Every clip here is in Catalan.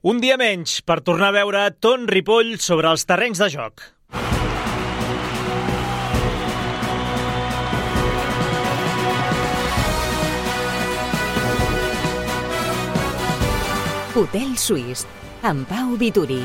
Un dia menys per tornar a veure Ton Ripoll sobre els terrenys de joc. Hotel Suís, amb Pau Vituri.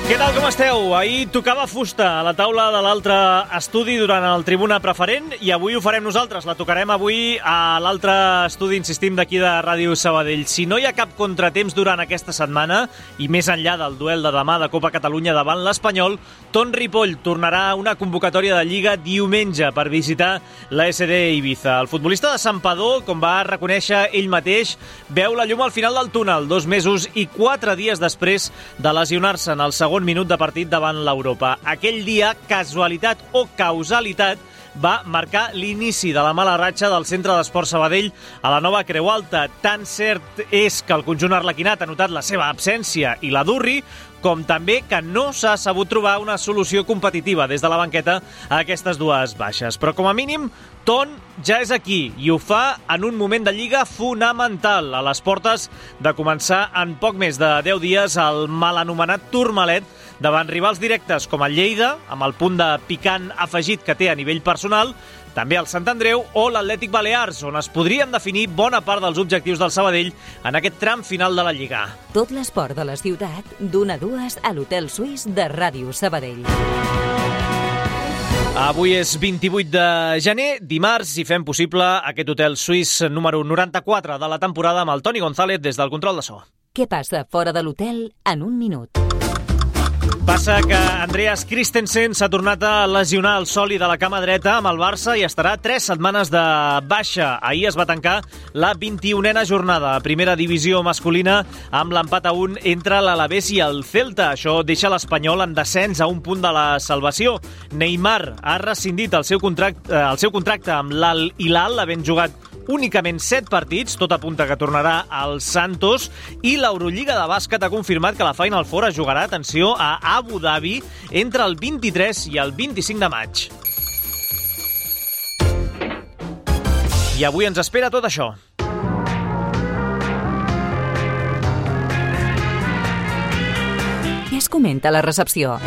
Què tal, com esteu? Ahir tocava fusta a la taula de l'altre estudi durant el Tribuna Preferent i avui ho farem nosaltres. La tocarem avui a l'altre estudi, insistim, d'aquí de Ràdio Sabadell. Si no hi ha cap contratemps durant aquesta setmana i més enllà del duel de demà de Copa Catalunya davant l'Espanyol, Ton Ripoll tornarà a una convocatòria de Lliga diumenge per visitar la SD Ibiza. El futbolista de Santpedor, com va reconèixer ell mateix, veu la llum al final del túnel, 2 mesos i 4 dies després de lesionar-se en el segon minut de partit davant l'Europa. Aquell dia, casualitat o causalitat, va marcar l'inici de la mala ratxa del Centre d'Esport Sabadell a la nova Creu Alta. Tan cert és que el conjunt arlequinat ha notat la seva absència i la d'Urri, com també que no s'ha sabut trobar una solució competitiva des de la banqueta a aquestes dues baixes. Però com a mínim, Ton ja és aquí i ho fa en un moment de Lliga fonamental, a les portes de començar en poc més de 10 dies el mal anomenat Tourmalet davant rivals directes com el Lleida, amb el punt de picant afegit que té a nivell personal, també el Sant Andreu o l'Atlètic Balears, on es podrien definir bona part dels objectius del Sabadell en aquest tram final de la Lliga. Tot l'esport de la ciutat, d'1 a 2 a l'Hotel Suís de Ràdio Sabadell. Avui és 28 de gener, dimarts, i fem possible aquest Hotel Suís número 94 de la temporada amb el Toni González des del control de so. Què passa fora de l'hotel en un minut? Passa que Andreas Christensen s'ha tornat a lesionar el sòlid de la cama dreta amb el Barça i estarà 3 setmanes de baixa. Ahir es va tancar la 21a jornada a primera divisió masculina amb l'empat a 1 entre l'Alavés i el Celta. Això deixa l'Espanyol en descens a un punt de la salvació. Neymar ha rescindit el seu contracte amb l'Al Hilal, havent jugat únicament 7 partits, tot apunta que tornarà al Santos, i l'Eurolliga de bàsquet ha confirmat que la Final Four es jugarà, atenció, a Abu Dhabi entre el 23 i el 25 de maig. I avui ens espera tot això. Què es comenta a la recepció?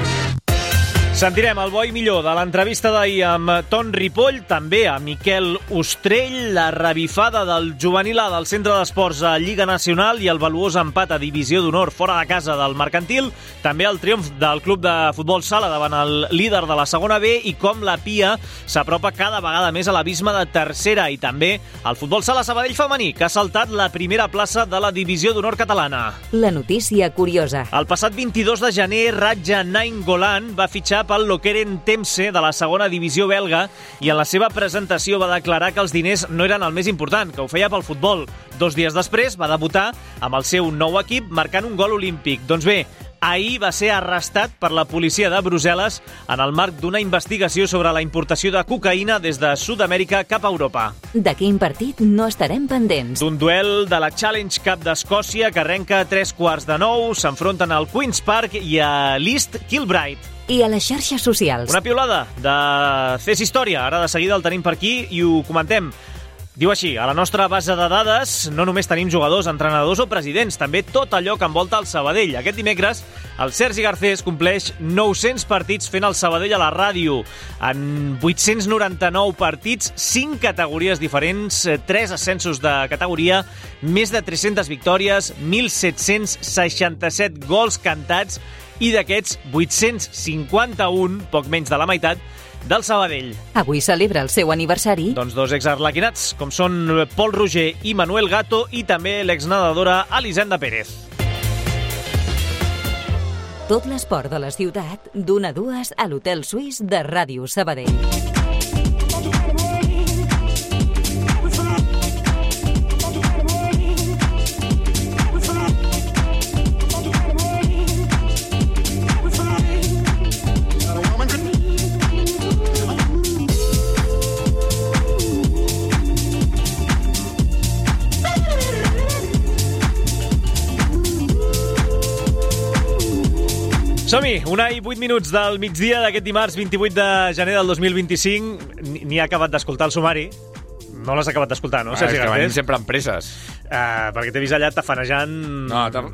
Sentirem el bo i millor de l'entrevista d'ahir amb Ton Ripoll, també a Miquel Ostrell, la revifada del juvenil A del Centre d'Esports a Lliga Nacional i el valuós empat a Divisió d'Honor fora de casa del Mercantil, també el triomf del Club de Futbol Sala davant el líder de la segona B i com la Pia s'apropa cada vegada més a l'abisme de tercera, i també el Futbol Sala Sabadell femení, que ha saltat la primera plaça de la Divisió d'Honor catalana. La notícia curiosa. El passat 22 de gener, Raja Nainggolan va fitxar pel Lokeren Temse de la segona divisió belga i en la seva presentació va declarar que els diners no eren el més important, que ho feia pel futbol. 2 dies després va debutar amb el seu nou equip marcant un gol olímpic. Doncs bé, ahir va ser arrestat per la policia de Brussel·les en el marc d'una investigació sobre la importació de cocaïna des de Sud-amèrica cap a Europa. De quin partit no estarem pendents? D'un duel de la Challenge Cup d'Escòcia que arrenca a 8:45, s'enfronten al Queen's Park i a l'East Kilbride. I a les xarxes socials? Una piulada de CES Història. Ara de seguida el tenim per aquí i ho comentem. Diu així: a la nostra base de dades no només tenim jugadors, entrenadors o presidents, també tot allò que envolta el Sabadell. Aquest dimecres el Sergi Garcés compleix 900 partits fent el Sabadell a la ràdio. En 899 partits, 5 categories diferents, 3 ascensos de categoria, més de 300 victòries, 1.767 gols cantats i d'aquests 851, poc menys de la meitat, del Sabadell. Avui celebra el seu aniversari. Doncs 2 exarlequinats, com són Pol Roger i Manuel Gato, i també l'exnedadora Elisenda Pérez. Tot l'esport de la ciutat, d'1 a 2 a l'Hotel Suís de Ràdio Sabadell. Som-hi, 1:08 del migdia d'aquest dimarts 28 de gener del 2025. Ni ha acabat d'escoltar el sumari. No l'has acabat d'escoltar, no? És que venim sempre amb presses. Perquè t'he vist allà tafanejant...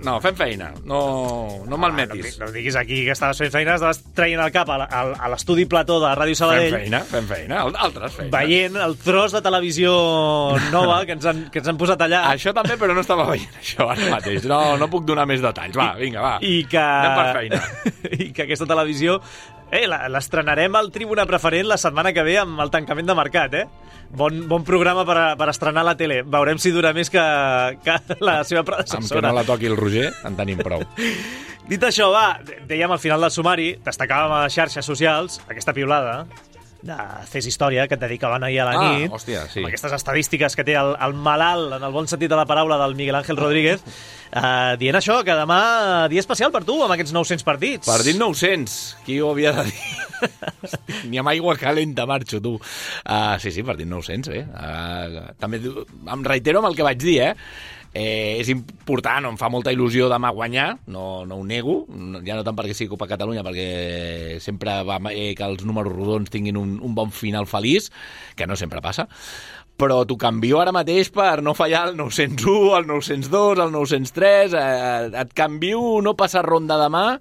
No, fem feina. No malmetis. No diguis aquí que estaves fent feina, estaves traient el cap a l'estudi Plató de Ràdio Sabadell. Fem feina. Altres feines. Veient el tros de televisió nova que ens han posat allà. Això també, però no estava veient això ara mateix. No puc donar més detalls. Va, vinga, va. Anem per feina. I que aquesta televisió... l'estrenarem al Tribuna Preferent la setmana que ve amb el tancament de mercat, Bon programa per estrenar la tele. Veurem si dura més que la seva predecessora. Amb que no la toqui el Roger, en tenim prou. Dit això, va, dèiem al final del sumari, destacàvem a les xarxes socials aquesta piulada de Fes Història, que et dedicaven ahir a la nit. Hòstia, sí. Amb aquestes estadístiques que té el malalt, en el bon sentit de la paraula, del Miguel Ángel Rodríguez, dient això, que demà dia especial per tu, amb aquests 900 partits. Partit 900, qui ho havia de dir? Ni amb aigua calenta marxo, tu. Sí, partit 900, també em reitero amb el que vaig dir, és important, em fa molta il·lusió demà guanyar, no ho nego, ja no tant perquè sigui Copa Catalunya, perquè sempre va que els números rodons tinguin un bon final feliç, que no sempre passa, però t'ho canvio ara mateix per no fallar el 901, el 902, el 903, et canvio no passar ronda demà,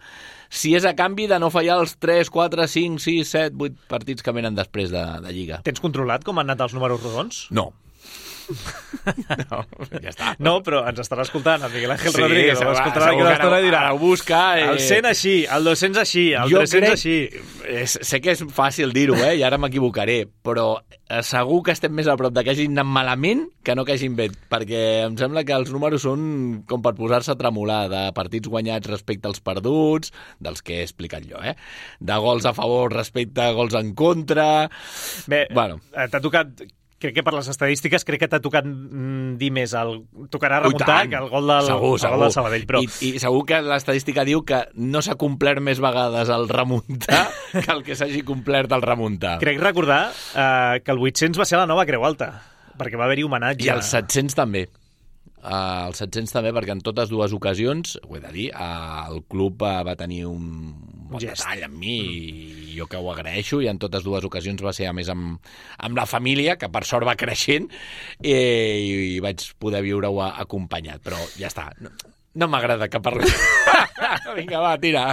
si és a canvi de no fallar els 3, 4, 5, 6, 7, 8 partits que venen després de Lliga. Tens controlat com han anat els números rodons? No. No, ja està. No, però ens estarà escoltant el Miguel Ángel Rodríguez. Sí, escoltarà que l'estona i dirà ho busca, el 100 així, el 200 així, el 300 així. Sé que és fàcil dir-ho, i ara m'equivocaré, però segur que estem més a prop de que hagin anat malament que no que hagin bé, perquè em sembla que els números són com per posar-se a tremolar, de partits guanyats respecte als perduts, dels que he explicat jo, de gols a favor respecte a gols en contra. Bé, t'ha tocat... Crec que per les estadístiques crec que t'ha tocat dir més tocarà remuntar que el gol del Sabadell. Però... I segur que l'estadística diu que no s'ha complert més vegades el remuntar que el que s'hagi complert el remuntar. Crec recordar que el 800 va ser la nova Creu Alta, perquè va haver-hi homenatge. I els 700 també. Els 700 també, perquè en totes dues ocasions, ho he de dir, el club va tenir un bon detall amb mi, i jo que ho agraeixo, i en totes dues ocasions va ser, a més, amb la família, que per sort va creixent, i vaig poder viure-ho acompanyat, però ja està. No m'agrada que parli. Vinga, va, tira.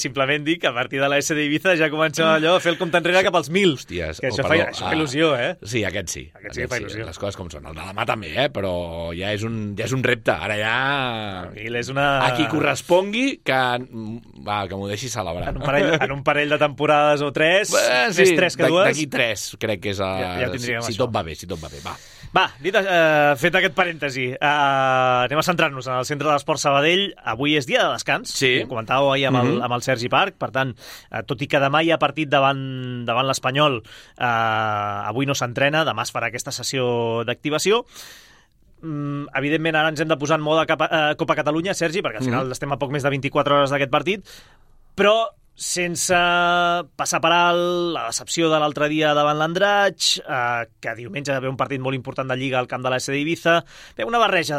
Simplement dic que a partir de la S d'Ibiza ja comença allò a fer el compte enrere cap als 1.000. Hòsties, que això fa il·lusió, Sí, aquest sí. Aquest sí que fa il·lusió. Les coses com són. El de demà també, però ja és un repte. Ara ja... És una... A qui correspongui, que m'ho deixi celebrar. En un parell de temporades o 3, més 3 que 2. D'aquí 3, crec que és... Si tot va bé, va. Va, fet aquest parèntesi, anem a centrar-nos en el centre de l'Esport Sabadell. Avui és dia de descans, ho comentàveu ahir amb el Sergi Parc, per tant, tot i que demà hi ha partit davant l'Espanyol, avui no s'entrena, demà es farà aquesta sessió d'activació. Evidentment ara ens hem de posar en mode Copa Catalunya, Sergi, perquè al final estem a poc més de 24 hores d'aquest partit, però sense passar per alt la decepció de l'altre dia davant l'Andratx, que diumenge va haver un partit molt important de Lliga al camp de la S d'Ibiza, una barreja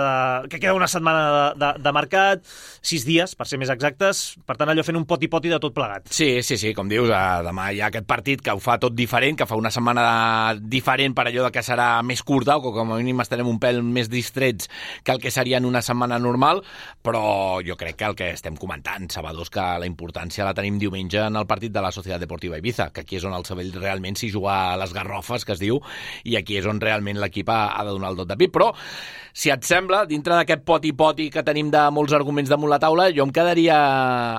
que queda una setmana de mercat, 6 dies, per ser més exactes, per tant allò fent un poti-poti de tot plegat. Sí, com dius, demà hi ha aquest partit que ho fa tot diferent, que fa una setmana diferent per allò que serà més curta, o que com a mínim estarem un pèl més distrets que el que seria en una setmana normal, però jo crec que el que estem comentant, Sabadors, que la importància la tenim diumenge en el partit de la Societat Deportiva Ibiza, que aquí és on el Sabadell realment s'hi juga a les garrofes, que es diu, i aquí és on realment l'equip ha de donar el dot de pit. Però, si et sembla, dintre d'aquest poti-poti que tenim de molts arguments damunt la taula, jo em quedaria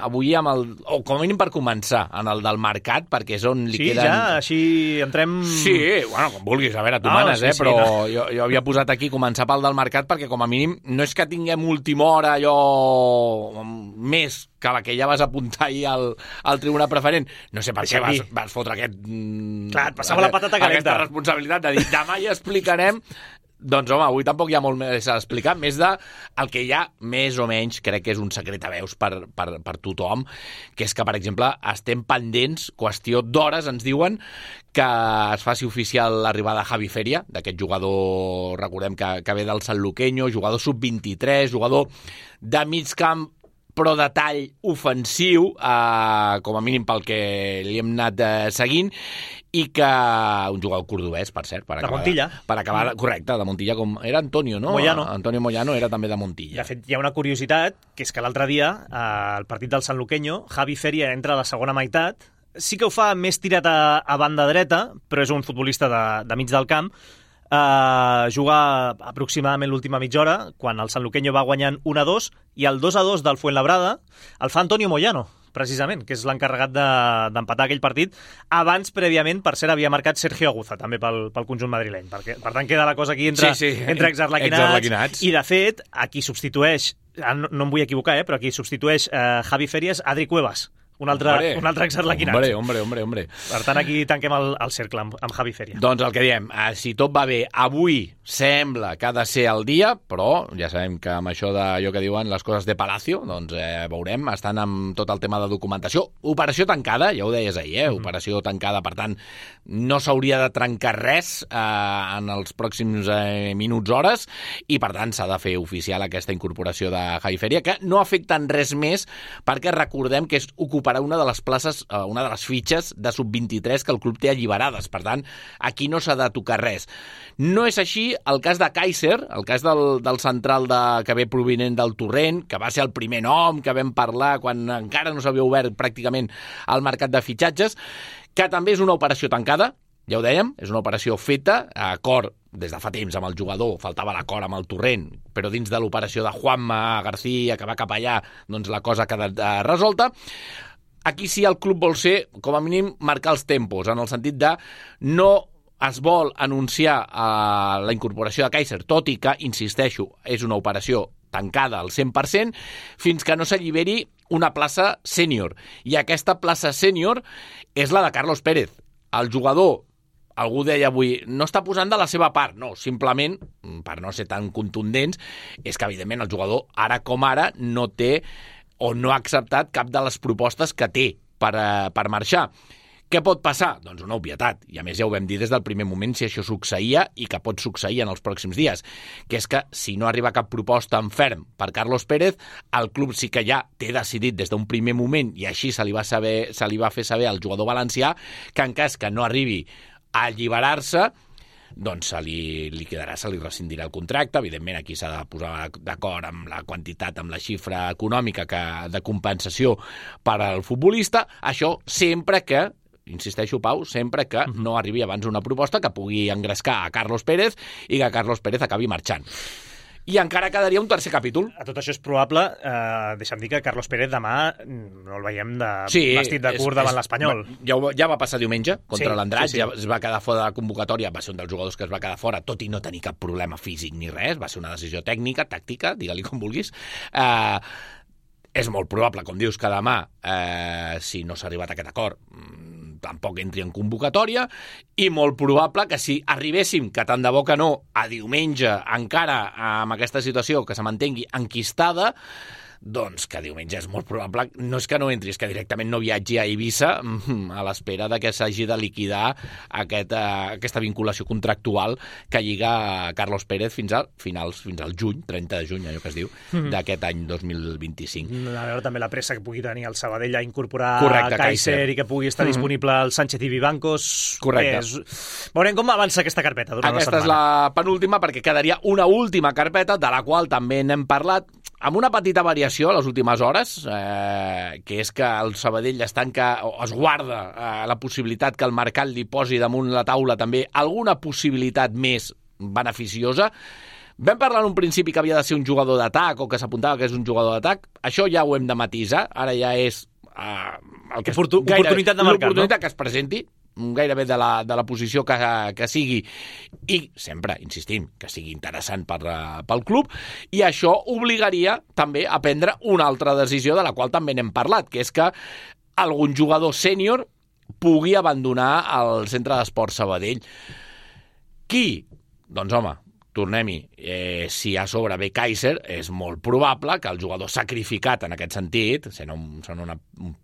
avui amb o com a mínim per començar, en el del mercat, perquè és on li queden... Sí, ja, així entrem... Sí, bueno, com vulguis, a veure, tu manes, però jo havia posat aquí començar pel del mercat, perquè com a mínim no és que tinguem última hora allò més que la que ja vas apuntar ahir al Tribuna Preferent. No sé per què vas fotre aquest... Clar, et passava la patata calenta. Aquesta responsabilitat de dir, demà ja explicarem. Doncs, home, avui tampoc hi ha molt més a explicar, més de el que ja, més o menys, crec que és un secret a veus per tothom, que és que, per exemple, estem pendents, qüestió d'hores, ens diuen, que es faci oficial l'arribada de Javi Feria, d'aquest jugador, recordem que ve del Sanluqueño, jugador sub-23, jugador de mig camp, però de tall ofensiu, com a mínim pel que li hem anat seguint, i que un jugador cordobès, per cert, de Montilla. Per acabar, correcte, de Montilla, com era Antonio, no? Moyano. Antonio Moyano era també de Montilla. De fet, hi ha una curiositat, que és que l'altre dia, al partit del Sanluqueño, Javi Feria entra a la segona meitat, sí que ho fa més tirat a banda dreta, però és un futbolista de mig del camp, juga aproximadament l'última mitja hora, quan el Sanluqueño va guanyant 1-2, i el 2-2 del Fuenlabrada el fa Antonio Moyano, precisament, que és l'encarregat d'empatar aquell partit. Abans, prèviament, per cert, havia marcat Sergio Aguza, també pel conjunt madrileny. Per tant, queda la cosa aquí entre exarlequinats. I, de fet, a qui substitueix, no em vull equivocar, però a qui substitueix Javi Feria és Adri Cuevas, un altre exarlequinat. Hombre. Per tant, aquí tanquem el cercle amb Javi Feria. Doncs el que diem, si tot va bé, avui sembla que ha de ser el dia, però ja sabem que amb això d'allò que diuen les coses de Palacio, doncs veurem, estan amb tot el tema de documentació. Operació tancada, ja ho deies ahir, operació tancada, per tant, no s'hauria de trencar res en els pròxims minuts, hores, i per tant s'ha de fer oficial aquesta incorporació de Javi Feria, que no afecta en res més, perquè recordem que ocuparà una de les places, una de les fitxes de sub-23 que el club té alliberades. Per tant, aquí no s'ha de tocar res. No és així el cas de Kaiser, el cas del central que ve provinent del Torrent, que va ser el primer nom que vam parlar quan encara no s'havia obert pràcticament el mercat de fitxatges, que també és una operació tancada, ja ho dèiem, és una operació feta, a acord des de fa temps amb el jugador, faltava l'acord amb el Torrent, però dins de l'operació de Juanma García, que va cap allà, doncs la cosa ha quedat resolta. Aquí sí el club vol ser, com a mínim, marcar els tempos, en el sentit de no es vol anunciar la incorporació de Kaiser, tot i que, insisteixo, és una operació tancada al 100%, fins que no s'alliberi una plaça sènior. I aquesta plaça sènior és la de Carlos Pérez. El jugador, algú deia avui, no està posant de la seva part. No, simplement, per no ser tan contundents, és que, evidentment, el jugador, ara com ara, no té o no ha acceptat cap de les propostes que té per marxar. Què pot passar? Doncs una obvietat, i a més ja ho vam dir des del primer moment si això succeïa i que pot succeir en els pròxims dies, que és que si no arriba cap proposta en ferm per Carlos Pérez, el club sí que ja té decidit des d'un primer moment, i així se li va fer saber al jugador valencià, que en cas que no arribi a alliberar-se, doncs se li liquidarà, se li rescindirà el contracte. Evidentment aquí s'ha de posar d'acord amb la quantitat, amb la xifra econòmica de compensació per al futbolista. Això sempre que, insisteixo, Pau, sempre que no arribi abans una proposta que pugui engrescar a Carlos Pérez i que Carlos Pérez acabi marxant. I encara quedaria un tercer capítol. A tot això és probable, deixa'm dir que Carlos Pérez demà no el veiem vestit de curt davant l'Espanyol. Ja va passar diumenge contra l'Andratx, sí. ja es va quedar fora de la convocatòria, va ser un dels jugadors que es va quedar fora, tot i no tenir cap problema físic ni res, va ser una decisió tècnica, tàctica, digue-li com vulguis. És molt probable, com dius, que demà, si no s'ha arribat a aquest acord, tampoc entri en convocatòria, i molt probable que si arribéssim, que tant de bo que no, a diumenge encara amb aquesta situació que se mantengui enquistada, doncs que diumenge és molt probable, no és que no entri, és que directament no viatgi a Eivissa a l'espera de que s'hagi de liquidar aquesta vinculació contractual que lliga Carlos Pérez fins al juny, 30 de juny, allò que es diu, d'aquest any 2025. A veure també la pressa que pugui tenir el Sabadell a incorporar Kaiser i que pugui estar disponible el Sánchez i Vivancos. Correcte. Veurem com avança aquesta carpeta durant la setmana. Aquesta és la penúltima, perquè quedaria una última carpeta, de la qual també n'hem parlat, amb una petita variació a les últimes hores, que és que el Sabadell es tanca o es guarda la possibilitat que el mercat li posi damunt la taula també alguna possibilitat més beneficiosa. Vam parlar en un principi que havia de ser un jugador d'atac o que s'apuntava que és un jugador d'atac. Això ja ho hem de matisar. Ara ja és oportunitat de mercat, l'oportunitat que es presenti, gairebé de la posició que sigui, i sempre, insistim, que sigui interessant pel club, i això obligaria també a prendre una altra decisió de la qual també n'hem parlat, que és que algun jugador sènior pugui abandonar el centre d'esport Sabadell. Qui? Doncs home, tornem-hi, si a sobre ve Kaiser, és molt probable que el jugador sacrificat en aquest sentit, sent un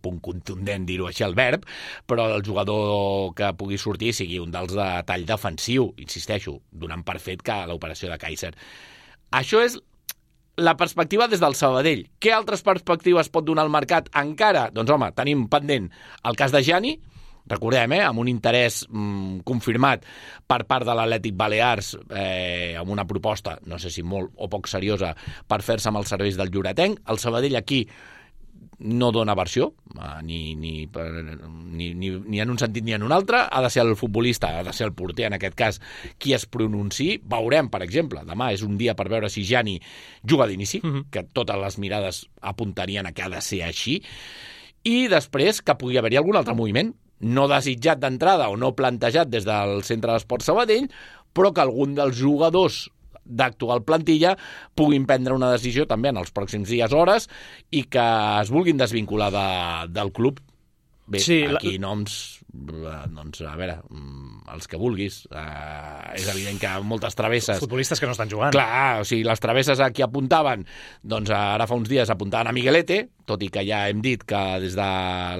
punt contundent dir-ho així el verb, però el jugador que pugui sortir sigui un dels de tall defensiu, insisteixo, donant per fet que l'operació de Kaiser. Això és la perspectiva des del Sabadell. Què altres perspectives pot donar el mercat encara? Doncs, home, tenim pendent el cas de Gianni, recordem, amb un interès confirmat per part de l'Atlètic Balears, amb una proposta, no sé si molt o poc seriosa, per fer-se amb els serveis del Lloretenc. El Sabadell aquí no dona versió, ni en un sentit ni en un altre. Ha de ser el futbolista, ha de ser el porter, en aquest cas, qui es pronunciï. Veurem, per exemple, demà és un dia per veure si Gianni juga d'inici, que totes les mirades apuntarien a que ha de ser així, i després que pugui haver-hi algun altre moviment, no desitjat d'entrada o no plantejat des del Centre d'Esport Sabadell, però que algun dels jugadors d'actual plantilla puguin prendre una decisió també en els pròxims dies, hores, i que es vulguin desvincular del club. Bé, sí, aquí noms, doncs, a veure, els que vulguis. És evident que moltes travesses... Futbolistes que no estan jugant. Clar, o sigui, les travesses a qui apuntaven, doncs ara fa uns dies apuntaven a Miguelete, tot i que ja hem dit que des de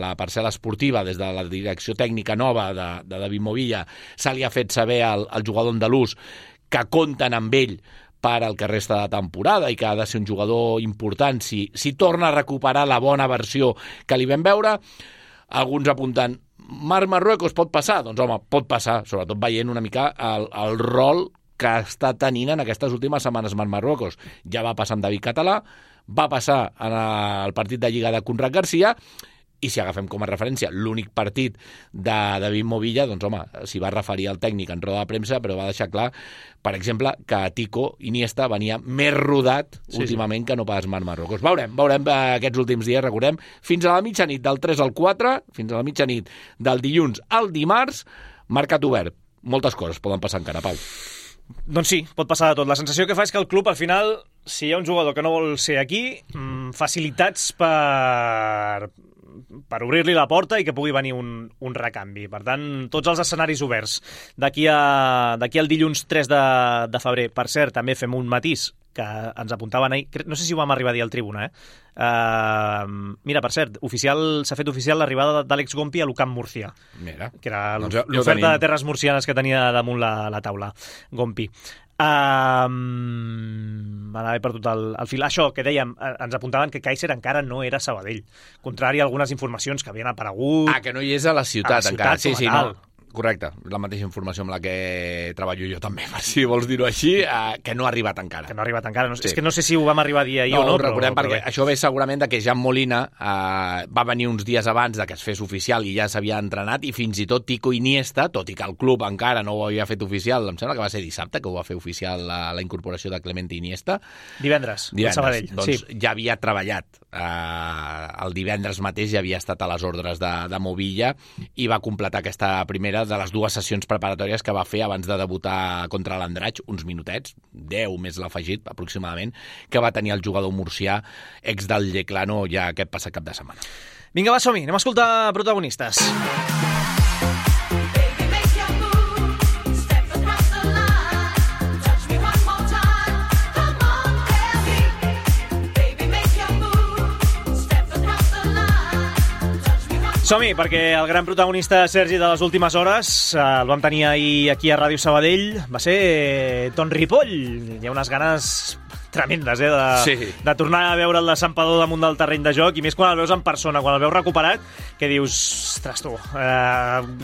la parcel·la esportiva, des de la direcció tècnica nova de David Movilla, se li ha fet saber al jugador andalús que compten amb ell per al que resta de temporada i que ha de ser un jugador important si torna a recuperar la bona versió que li vam veure. Alguns apunten, Marruecos pot passar? Doncs home, pot passar, sobretot veient una mica el rol que està tenint en aquestes últimes setmanes Marruecos. Ja va passar amb David Català, va passar en el partit de Lliga de Conrad Garcia, i si agafem com a referència l'únic partit de David Movilla, doncs home, s'hi va referir al tècnic en roda de premsa, però va deixar clar, per exemple, que Tico Iniesta venia més rodat últimament que no pas Marruecos. Veurem aquests últims dies, recordem, fins a la mitjanit del 3 al 4, fins a la mitjanit del dilluns al dimarts, mercat obert. Moltes coses poden passar encara, Pau. Doncs sí, pot passar de tot. La sensació que fa és que el club, al final, si hi ha un jugador que no vol ser aquí, facilitats per obrir-li la porta i que pugui venir un recanvi. Per tant, tots els escenaris oberts. D'aquí al dilluns 3 de febrer, per cert, també fem un matís que ens apuntaven ahir, no sé si ho vam arribar a dir al Tribuna, mira, per cert, s'ha fet oficial l'arribada d'Àlex Gompi a l'Ucamp Murcia. Mira, que era l'oferta de terres murcianes que tenia damunt la taula, Gompi. M'anava per tot el fil. Això que dèiem, ens apuntaven que Kaiser encara no era Sabadell, contrari a algunes informacions que havien aparegut. Que no hi és a la ciutat encara. Sí, no. Correcte, la mateixa informació amb la que treballo jo també, per si vols dir-ho així, que no ha arribat encara. Que no ha arribat encara. És que no sé si ho vam arribar a dir ahir o no. No, recordem perquè això ve segurament de que Jan Molina va venir uns dies abans de que es fes oficial i ja s'havia entrenat, i fins i tot Tico Iniesta, tot i que el club encara no ho havia fet oficial, em sembla que va ser dissabte que ho va fer oficial la incorporació de Clemente Iniesta. Divendres, al Sabadell. Doncs sí. Ja havia treballat. El divendres mateix ja havia estat a les ordres de Movilla i va completar aquesta primera de les dues sessions preparatòries que va fer abans de debutar contra l'Andratx, uns minutets, 10 més l'afegit aproximadament, que va tenir el jugador murcià ex del Yeclano ja aquest passat cap de setmana. Vinga, va, som-hi, anem a escoltar protagonistes. Som-hi, perquè el gran protagonista, Sergi, de les últimes hores, el vam tenir ahir aquí a Ràdio Sabadell, va ser Ton Ripoll. Hi ha unes ganes tremendes, de tornar a veure el de Santpedor damunt del terreny de joc, i més quan el veus en persona, quan el veus recuperat, que dius, ostres, tu,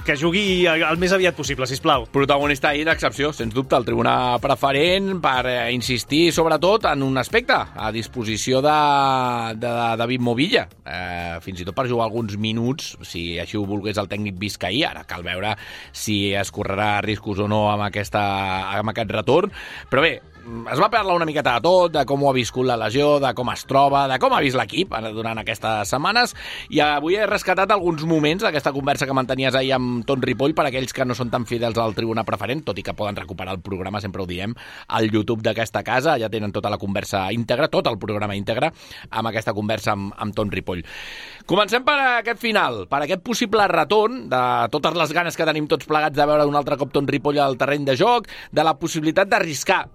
que jugui el més aviat possible, sisplau. Protagonista ahir d'excepció, sens dubte, el tribuna preferent, per insistir sobretot en un aspecte, a disposició de David Movilla, fins i tot per jugar alguns minuts, si així ho volgués el tècnic biscaí. Ara cal veure si es correrà riscos o no amb aquest retorn, però bé, es va parlar una miqueta de tot, de com ho ha viscut la lesió, de com es troba, de com ha vist l'equip durant aquestes setmanes, i avui he rescatat alguns moments d'aquesta conversa que mantenies ahir amb Ton Ripoll per aquells que no són tan fidels al tribuna preferent, tot i que poden recuperar el programa, sempre ho diem, al YouTube d'aquesta casa, ja tenen tota la conversa íntegra, tot el programa íntegre, amb aquesta conversa amb Ton Ripoll. Comencem per aquest final, per aquest possible retorn, de totes les ganes que tenim tots plegats de veure un altre cop Ton Ripoll al terreny de joc, de la possibilitat d'arriscar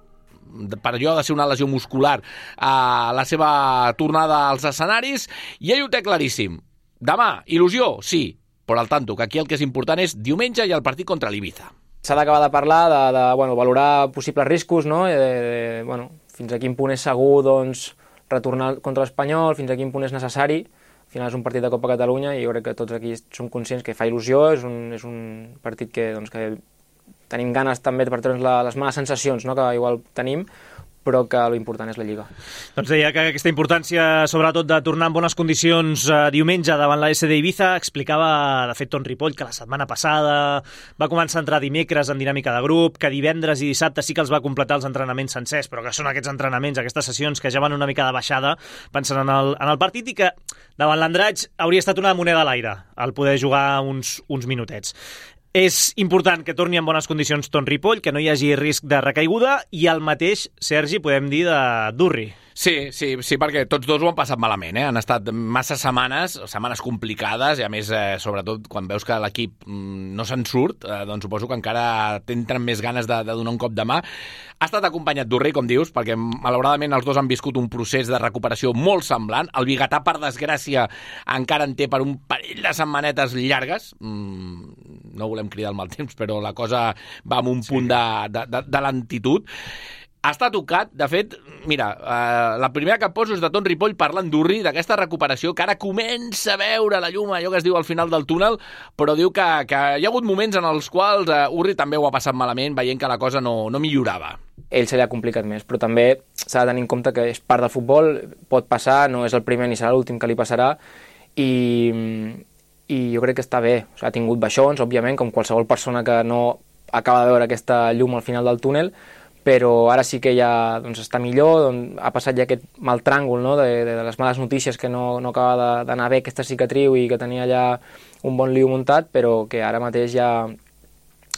per allò de ser una lesió muscular a la seva tornada als escenaris, i ell ho té claríssim. Demà, il·lusió, sí, però al tanto, que aquí el que és important és diumenge i el partit contra l'Ibiza. S'ha d'acabar de parlar, de valorar possibles riscos, no? fins a quin punt és segur doncs, retornar contra l'Espanyol, fins a quin punt és necessari. Al final és un partit de Copa Catalunya i jo crec que tots aquí som conscients que fa il·lusió, és un partit que tenim ganes també per treure'ns les males sensacions, no?, que igual tenim, però que l'important és la Lliga. Doncs deia que aquesta importància, sobretot de tornar en bones condicions diumenge davant la SD Ibiza, explicava, de fet, Ton Ripoll, que la setmana passada va començar a entrar dimecres en dinàmica de grup, que divendres i dissabte sí que els va completar els entrenaments sencers, però que són aquests entrenaments, aquestes sessions que ja van una mica de baixada, pensant en el partit, i que davant l'Andratx hauria estat una moneda a l'aire el poder jugar uns minutets. És important que torni en bones condicions Ton Ripoll, que no hi hagi risc de recaiguda, i el mateix, Sergi, podem dir de Durri. Sí, perquè tots dos ho han passat malament, Han estat massa setmanes complicades, i a més, sobretot, quan veus que l'equip no se'n surt, doncs suposo que encara tenen més ganes de donar un cop de mà. Ha estat acompanyat Durri, com dius, perquè malauradament els dos han viscut un procés de recuperació molt semblant. El biguetà, per desgràcia, encara en té per un parell de setmanetes llargues. No volem cridar el mal temps, però la cosa va amb un punt de lentitud. Està tocat, de fet, mira, la primera que poso és de Ton Ripoll parlant d'Urri, d'aquesta recuperació, que ara comença a veure la llum, allò que es diu al final del túnel, però diu que hi ha hagut moments en els quals Urri també ho ha passat malament, veient que la cosa no millorava. Ell se li ha complicat més, però també s'ha de tenir en compte que és part del futbol, pot passar, no és el primer ni serà l'últim que li passarà, i jo crec que està bé. Ha tingut baixons, òbviament, com qualsevol persona que no acaba de veure aquesta llum al final del túnel, però ara sí que ja està millor, ha passat ja aquest mal tràngol, no?, de les males notícies, que no acaba d'anar bé aquesta cicatriu i que tenia ja un bon lío muntat, però que ara mateix ja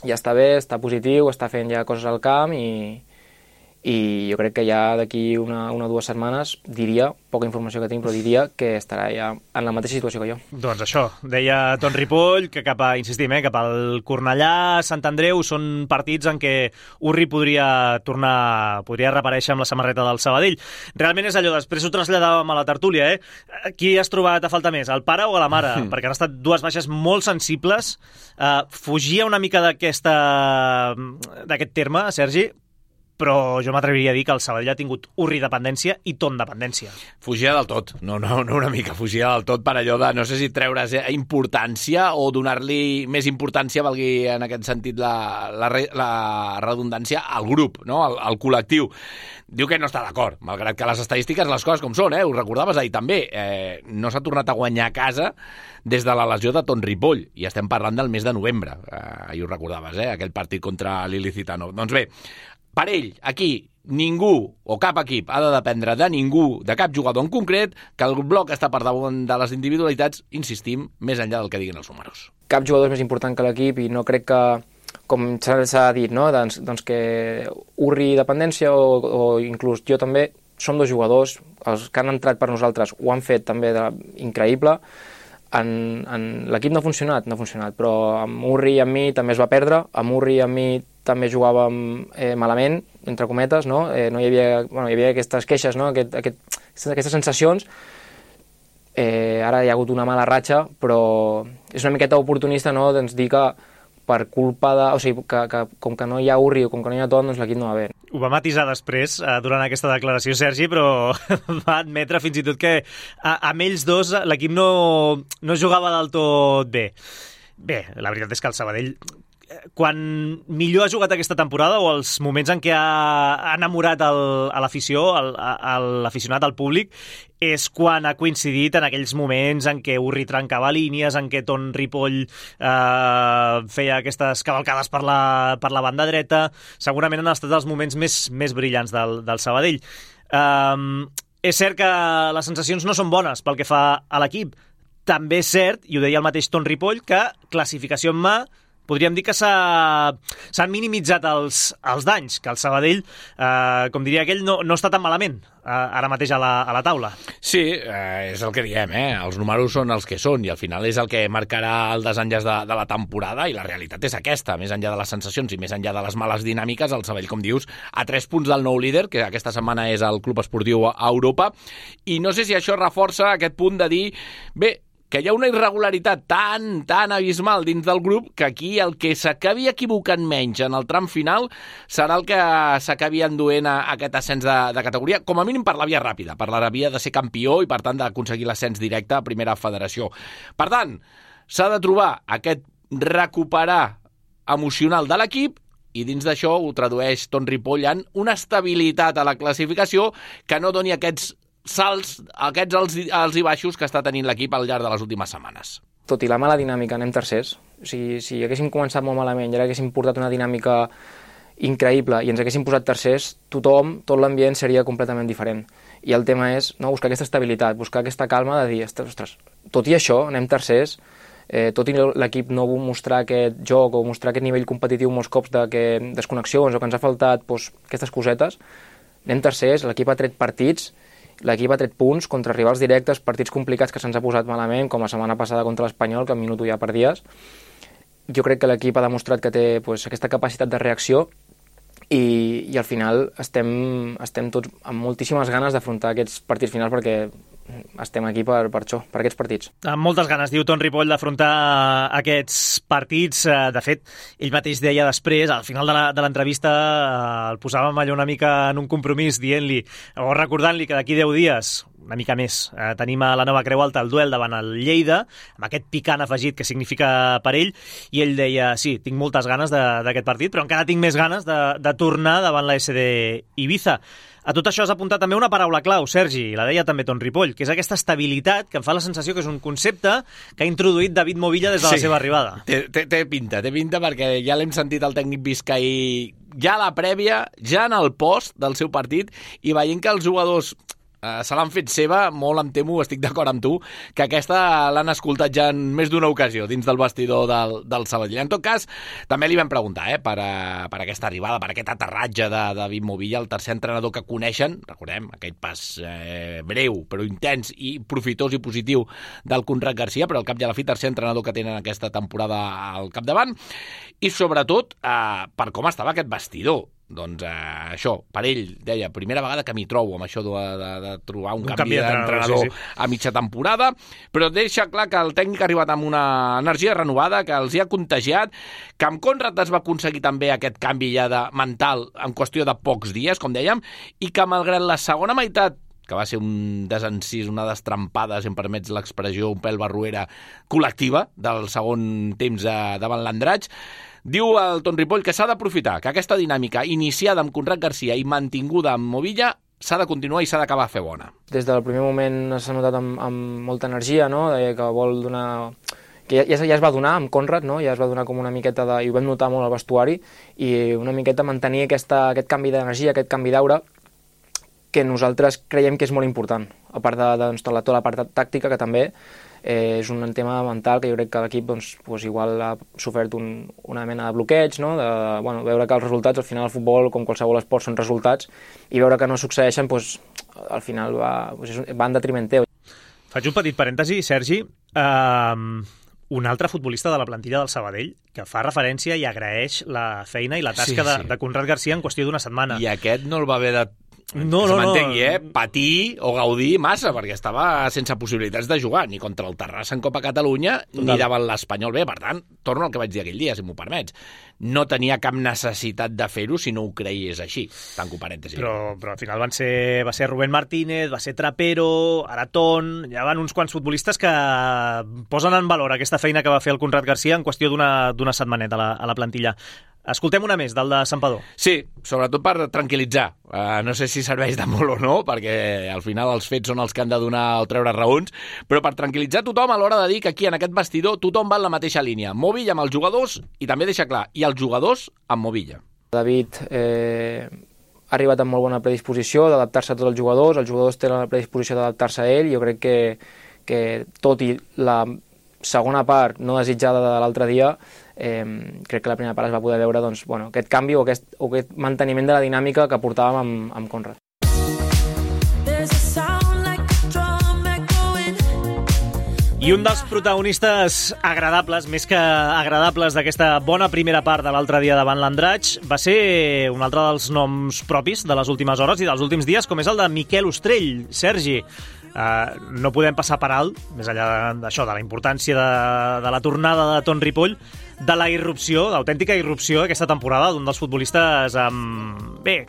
està bé, està positiu, està fent ja coses al camp, i jo crec que ja d'aquí una o 2 setmanes, diria, poca informació que tinc, però diria que estarà ja en la mateixa situació que jo. Doncs això, deia Ton Ripoll, que cap al Cornellà, Sant Andreu, són partits en què Urri podria reaparèixer amb la samarreta del Sabadell. Realment és allò, després ho traslladàvem a la tertúlia, Qui has trobat a falta més, el pare o a la mare? Perquè han estat 2 baixes molt sensibles. Fugia una mica d'aquest terme, Sergi, però jo m'atreviria a dir que el Sabadell ha tingut Urri dependència i Ton dependència. Fugia del tot, no una mica, fugia del tot per allò de, no sé si treure's importància o donar-li més importància, valgui en aquest sentit la redundància, al grup, no? al col·lectiu. Diu que no està d'acord, malgrat que les estadístiques, les coses com són, ho recordaves ahir també, no s'ha tornat a guanyar a casa des de la lesió de Ton Ripoll, i estem parlant del mes de novembre, ahir ho recordaves, aquell partit contra l'Ilicitano. Doncs bé, per ell, aquí, ningú o cap equip ha de dependre de ningú, de cap jugador en concret, que el bloc està per damunt de les individualitats, insistim, més enllà del que diguin els números. Cap jugador és més important que l'equip, i no crec que, com s'ha dit, no? doncs que Urri dependència o inclús jo també, som 2 jugadors, els que han entrat per nosaltres ho han fet també increïble. L'equip no ha funcionat, però amb Urri i amb mi també es va perdre, amb Urri i amb mi també jugàvem malament, entre cometes, no? Hi havia aquestes queixes, no? Aquestes sensacions. Ara hi ha hagut una mala ratxa, però és una miqueta oportunista, no?, doncs dir que per culpa de... O sigui, que com que no hi ha Urri o com que no hi ha Ton, doncs l'equip no va bé. Ho va matisar després, durant aquesta declaració, Sergi, però va admetre fins i tot que amb ells dos l'equip no jugava del tot bé. Bé, la veritat és que el Sabadell, quan millor ha jugat aquesta temporada, o els moments en què ha enamorat a l'afició, l'aficionat, al públic, és quan ha coincidit en aquells moments en què Urri trencava línies, en què Ton Ripoll feia aquestes cavalcades per la banda dreta. Segurament han estat els moments més brillants del Sabadell. És cert que les sensacions no són bones pel que fa a l'equip. També és cert, i ho deia el mateix Ton Ripoll, que classificació en mà, podríem dir que s'han minimitzat els danys, que el Sabadell, com diria aquell, no està tan malament ara mateix a la taula. Sí, és el que diem, els números són els que són, i al final és el que marcarà el desenllaç de la temporada, i la realitat és aquesta, més enllà de les sensacions i més enllà de les males dinàmiques, el Sabadell, com dius, a 3 punts del nou líder, que aquesta setmana és el Club Esportiu a Europa, i no sé si això reforça aquest punt de dir, bé, que hi ha una irregularitat tan abismal dins del grup que aquí el que s'acabi equivocant menys en el tram final serà el que s'acabi enduent a aquest ascens de categoria, com a mínim per la via ràpida, per la via de ser campió i per tant d'aconseguir l'ascens directe a primera federació. Per tant, s'ha de trobar aquest recuperar emocional de l'equip i dins d'això ho tradueix Ton Ripoll en una estabilitat a la classificació que no doni aquests salts, aquests alts i baixos que està tenint l'equip al llarg de les últimes setmanes. Tot i la mala dinàmica, anem tercers. O sigui, si haguéssim començat molt malament i ara haguéssim portat una dinàmica increïble i ens haguéssim posat tercers, tothom, tot l'ambient seria completament diferent. I el tema és buscar aquesta estabilitat, buscar aquesta calma de dir, ostres, tot i això, anem tercers, tot i l'equip no vol mostrar aquest joc o mostrar aquest nivell competitiu molts cops de desconnexions o que ens ha faltat aquestes cosetes, anem tercers, l'equip ha tret partits, l'equip ha tret punts contra rivals directes, partits complicats que se'ns ha posat malament, com la setmana passada contra l'Espanyol, que al minut ja perdies. Jo crec que l'equip ha demostrat que té aquesta capacitat de reacció i al final estem tots amb moltíssimes ganes d'afrontar aquests partits finals perquè estem aquí per això, per aquests partits. Amb moltes ganes, diu Ton Ripoll, d'afrontar aquests partits. De fet, ell mateix deia després, al final de l'entrevista, el posàvem allò una mica en un compromís, dient-li, o recordant-li que d'aquí 10 dies, una mica més, tenim a la Nova Creu Alta el duel davant el Lleida, amb aquest picant afegit que significa per ell, i ell deia, sí, tinc moltes ganes d'aquest partit, però encara tinc més ganes de tornar davant la SD Ibiza. A tot això has apuntat també una paraula clau, Sergi, la deia també Ton Ripoll, que és aquesta estabilitat que em fa la sensació que és un concepte que ha introduït David Movilla des de la seva arribada. Té pinta perquè ja l'hem sentit el tècnic biscaí ja a la prèvia, ja en el post del seu partit, i veient que els jugadors se l'han fet seva, molt em temo, estic d'acord amb tu, que aquesta l'han escoltat ja en més d'una ocasió dins del vestidor del Sabadell. En tot cas, també li vam preguntar per aquesta arribada, per aquest aterratge de David Movilla, el tercer entrenador que coneixen, recordem, aquell pas breu però intens i profitós i positiu del Conrad Garcia, però al cap i a la fi tercer entrenador que tenen aquesta temporada al capdavant, i sobretot per com estava aquest vestidor. Doncs això, per ell, deia, primera vegada que m'hi trobo amb això de trobar un canvi d'entrenador a mitja temporada, però deixa clar que el tècnic ha arribat amb una energia renovada, que els hi ha contagiat, que amb Conrad es va aconseguir també aquest canvi ja mental en qüestió de pocs dies, com dèiem, i que malgrat la segona meitat, que va ser un desencís, una destrampada, si em permets l'expressió, un pèl barruera col·lectiva del segon temps davant l'Andratx, diu el Ton Ripoll que s'ha d'aprofitar, que aquesta dinàmica iniciada amb Conrad Garcia i mantinguda amb Movilla s'ha de continuar i s'ha d'acabar a fer bona. Des del primer moment s'ha notat amb molta energia, no? Que vol donar... que ja es va donar amb Conrad, no? Ja es va donar com una miqueta i ho vam notar molt al vestuari, i una miqueta mantenir aquest canvi d'energia, aquest canvi d'aura, que nosaltres creiem que és molt important, a part de tota la part tàctica, que també és un tema mental que jo crec que l'equip igual ha sofert una mena de bloqueig, no? Veure que els resultats, al final el futbol, com qualsevol esport, són resultats, i veure que no succeeixen, al final va en detriment teu. Faig un petit parèntesi, Sergi. Un altre futbolista de la plantilla del Sabadell que fa referència i agraeix la feina i la tasca de Conrad Garcia en qüestió d'una setmana. I aquest no el va haver de patir o gaudir massa, perquè estava sense possibilitats de jugar, ni contra el Terrassa en Copa Catalunya, ni davant l'Espanyol B. Per tant, torno al que vaig dir aquell dia, si m'ho permets. No tenia cap necessitat de fer-ho si no ho creies així. Tanco parèntesi. Però al final va ser Rubén Martínez, va ser Trapero, Aratón... Hi ha uns quants futbolistes que posen en valor aquesta feina que va fer el Conrad Garcia en qüestió d'una setmaneta a la plantilla. Escoltem una més, del de Santpedor. Sí, sobretot per tranquil·litzar. No sé si serveix de molt o no, perquè al final els fets són els que han de donar o treure raons, però per tranquil·litzar tothom a l'hora de dir que aquí en aquest vestidor tothom va en la mateixa línia. Movilla amb els jugadors, i també deixa clar, i els jugadors amb Movilla. David ha arribat amb molt bona predisposició d'adaptar-se a tots els jugadors tenen la predisposició d'adaptar-se a ell, i jo crec que tot i la segona part no desitjada de l'altre dia, crec que la primera part es va poder veure aquest canvi o aquest manteniment de la dinàmica que portàvem amb Conrad. I un dels protagonistes agradables, més que agradables, d'aquesta bona primera part de l'altre dia davant l'Andratx va ser un altre dels noms propis de les últimes hores i dels últims dies, com és el de Miquel Ostrell. Sergi, no podem passar per alt, més enllà d'això, de la importància de la tornada de Ton Ripoll, de la irrupció, d'autèntica irrupció aquesta temporada d'un dels futbolistes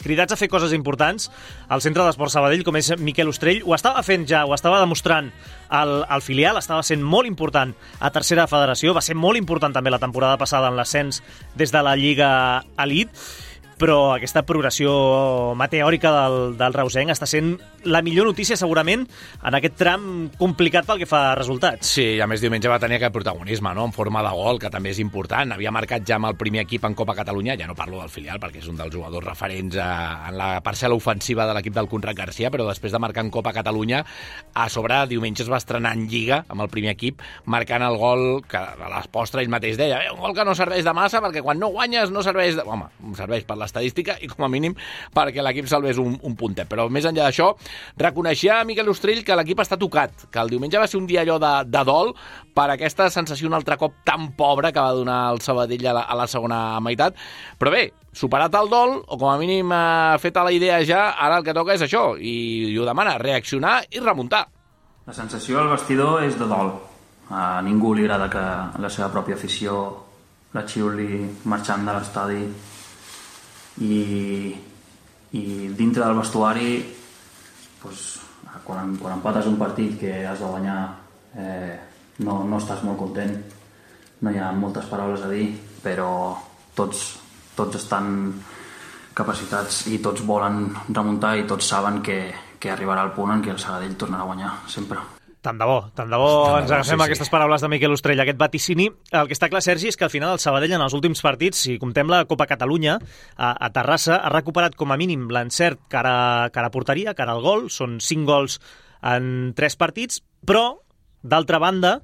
cridats a fer coses importants al Centre d'Esports Sabadell, com és Miquel Ostrell. Ho estava fent ja, ho estava demostrant al filial, estava sent molt important a tercera federació, va ser molt important també la temporada passada en l'ascens des de la Lliga Elite, però aquesta progressió meteòrica del reusenc està sent la millor notícia segurament en aquest tram complicat pel que fa a resultats. Sí, i a més diumenge va tenir aquest protagonisme, no?, en forma de gol, que també és important. Havia marcat ja amb el primer equip en Copa Catalunya, ja no parlo del filial perquè és un dels jugadors referents en la parcel·la ofensiva de l'equip del Conrad Garcia, però després de marcar en Copa Catalunya, a sobre diumenge es va estrenar en Lliga amb el primer equip, marcant el gol que a l'Espostra ell mateix deia, un gol que no serveix de massa perquè quan no guanyes no serveix de... Home, serveix per l'estadística i com a mínim perquè l'equip salvés un puntet. Però més enllà d'això, reconeixia a Miquel Ostrell que l'equip està tocat, que el diumenge va ser un dia allò de dol per aquesta sensació un altre cop tan pobra que va donar el Sabadell a la segona meitat. Però bé, superat el dol, o com a mínim feta la idea ja, ara el que toca és això, i ho demana, reaccionar i remuntar. La sensació al vestidor és de dol. A ningú li agrada que la seva pròpia afició la xiuli marxant de l'estadi i dintre del vestuari doncs, quan empates un partit que has de guanyar no estàs molt content, no hi ha moltes paraules a dir, però tots estan capacitats i tots volen remuntar i tots saben que arribarà el punt en què el Sabadell tornarà a guanyar sempre. Tant de bo ens agafem aquestes paraules de Miquel Ostrell, aquest vaticini. El que està clar, Sergi, és que al final el Sabadell en els últims partits, si comptem la Copa Catalunya, a Terrassa ha recuperat com a mínim l'encert cara a porteria, cara al gol, són 5 gols en 3 partits, però, d'altra banda,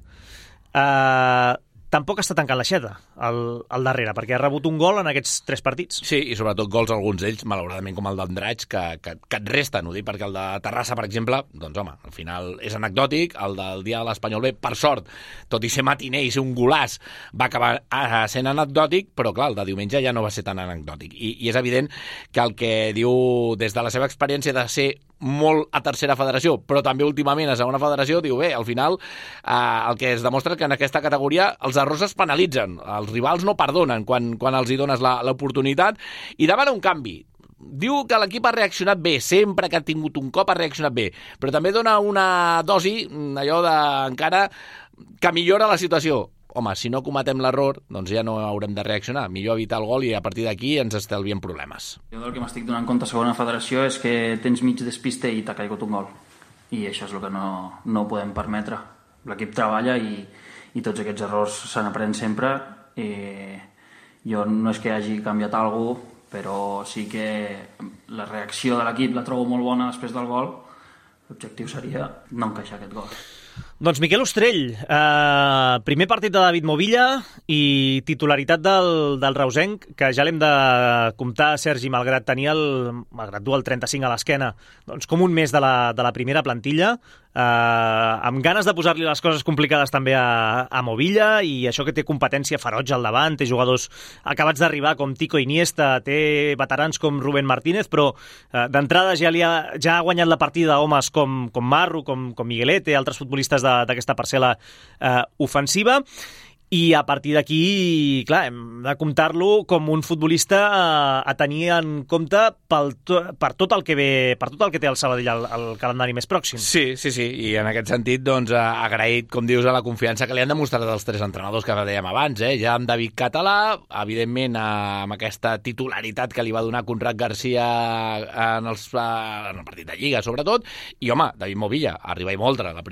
tampoc està tancant l'aixeta al darrere, perquè ha rebut un gol en aquests 3 partits. Sí, i sobretot gols, alguns d'ells, malauradament, com el d'Andratx, que et resten, ho dic, perquè el de Terrassa, per exemple, doncs home, al final és anecdòtic, el del dia de l'Espanyol B, per sort, tot i ser matiner i ser un golaç, va acabar sent anecdòtic, però clar, el de diumenge ja no va ser tan anecdòtic. I és evident que el que diu des de la seva experiència de ser molt a tercera federació, però també últimament a segona federació, diu, bé, al final el que es demostra que en aquesta categoria els errors es penalitzen, els rivals no perdonen quan els hi dones l'oportunitat, i demana un canvi. Diu que l'equip ha reaccionat bé, sempre que ha tingut un cop ha reaccionat bé, però també dona una dosi, allò encara que millora la situació. Home, si no cometem l'error, doncs ja no haurem de reaccionar. Millor evitar el gol i a partir d'aquí ens estalviem problemes. Jo del que m'estic donant compte a segona federació és que tens mig despiste i t'ha caigut un gol. I això és el que no podem permetre. L'equip treballa i tots aquests errors se n'aprèn sempre. Jo no és que hagi canviat alguna cosa, però sí que la reacció de l'equip la trobo molt bona després del gol. L'objectiu seria no encaixar aquest gol. Doncs Miquel Ostrell, primer partit de David Movilla i titularitat del reusenc, que ja l'hem de comptar, Sergi, malgrat dur el 35 a l'esquena, doncs com un mes de la primera plantilla, amb ganes de posar-li les coses complicades també a Movilla, i això que té competència ferotge al davant, té jugadors acabats d'arribar com Tico Iniesta, té veterans com Rubén Martínez, però d'entrada ja ha guanyat la partida homes com Marro, com Miguelete, altres futbolistes d'aquesta parcel·la ofensiva, i a partir d'aquí, clar, hem de comptar-lo com un futbolista a tenir en compte per tot el que ve, per tot el que té el Sabadell al calendari més pròxim. Sí, i en aquest sentit, doncs, agraït, com dius, a la confiança que li han demostrat els 3 entrenadors que dèiem abans, ja amb David Català, evidentment amb aquesta titularitat que li va donar Conrad Garcia en el partit de Lliga, sobretot, i home, David Movilla, arriba i moldre, el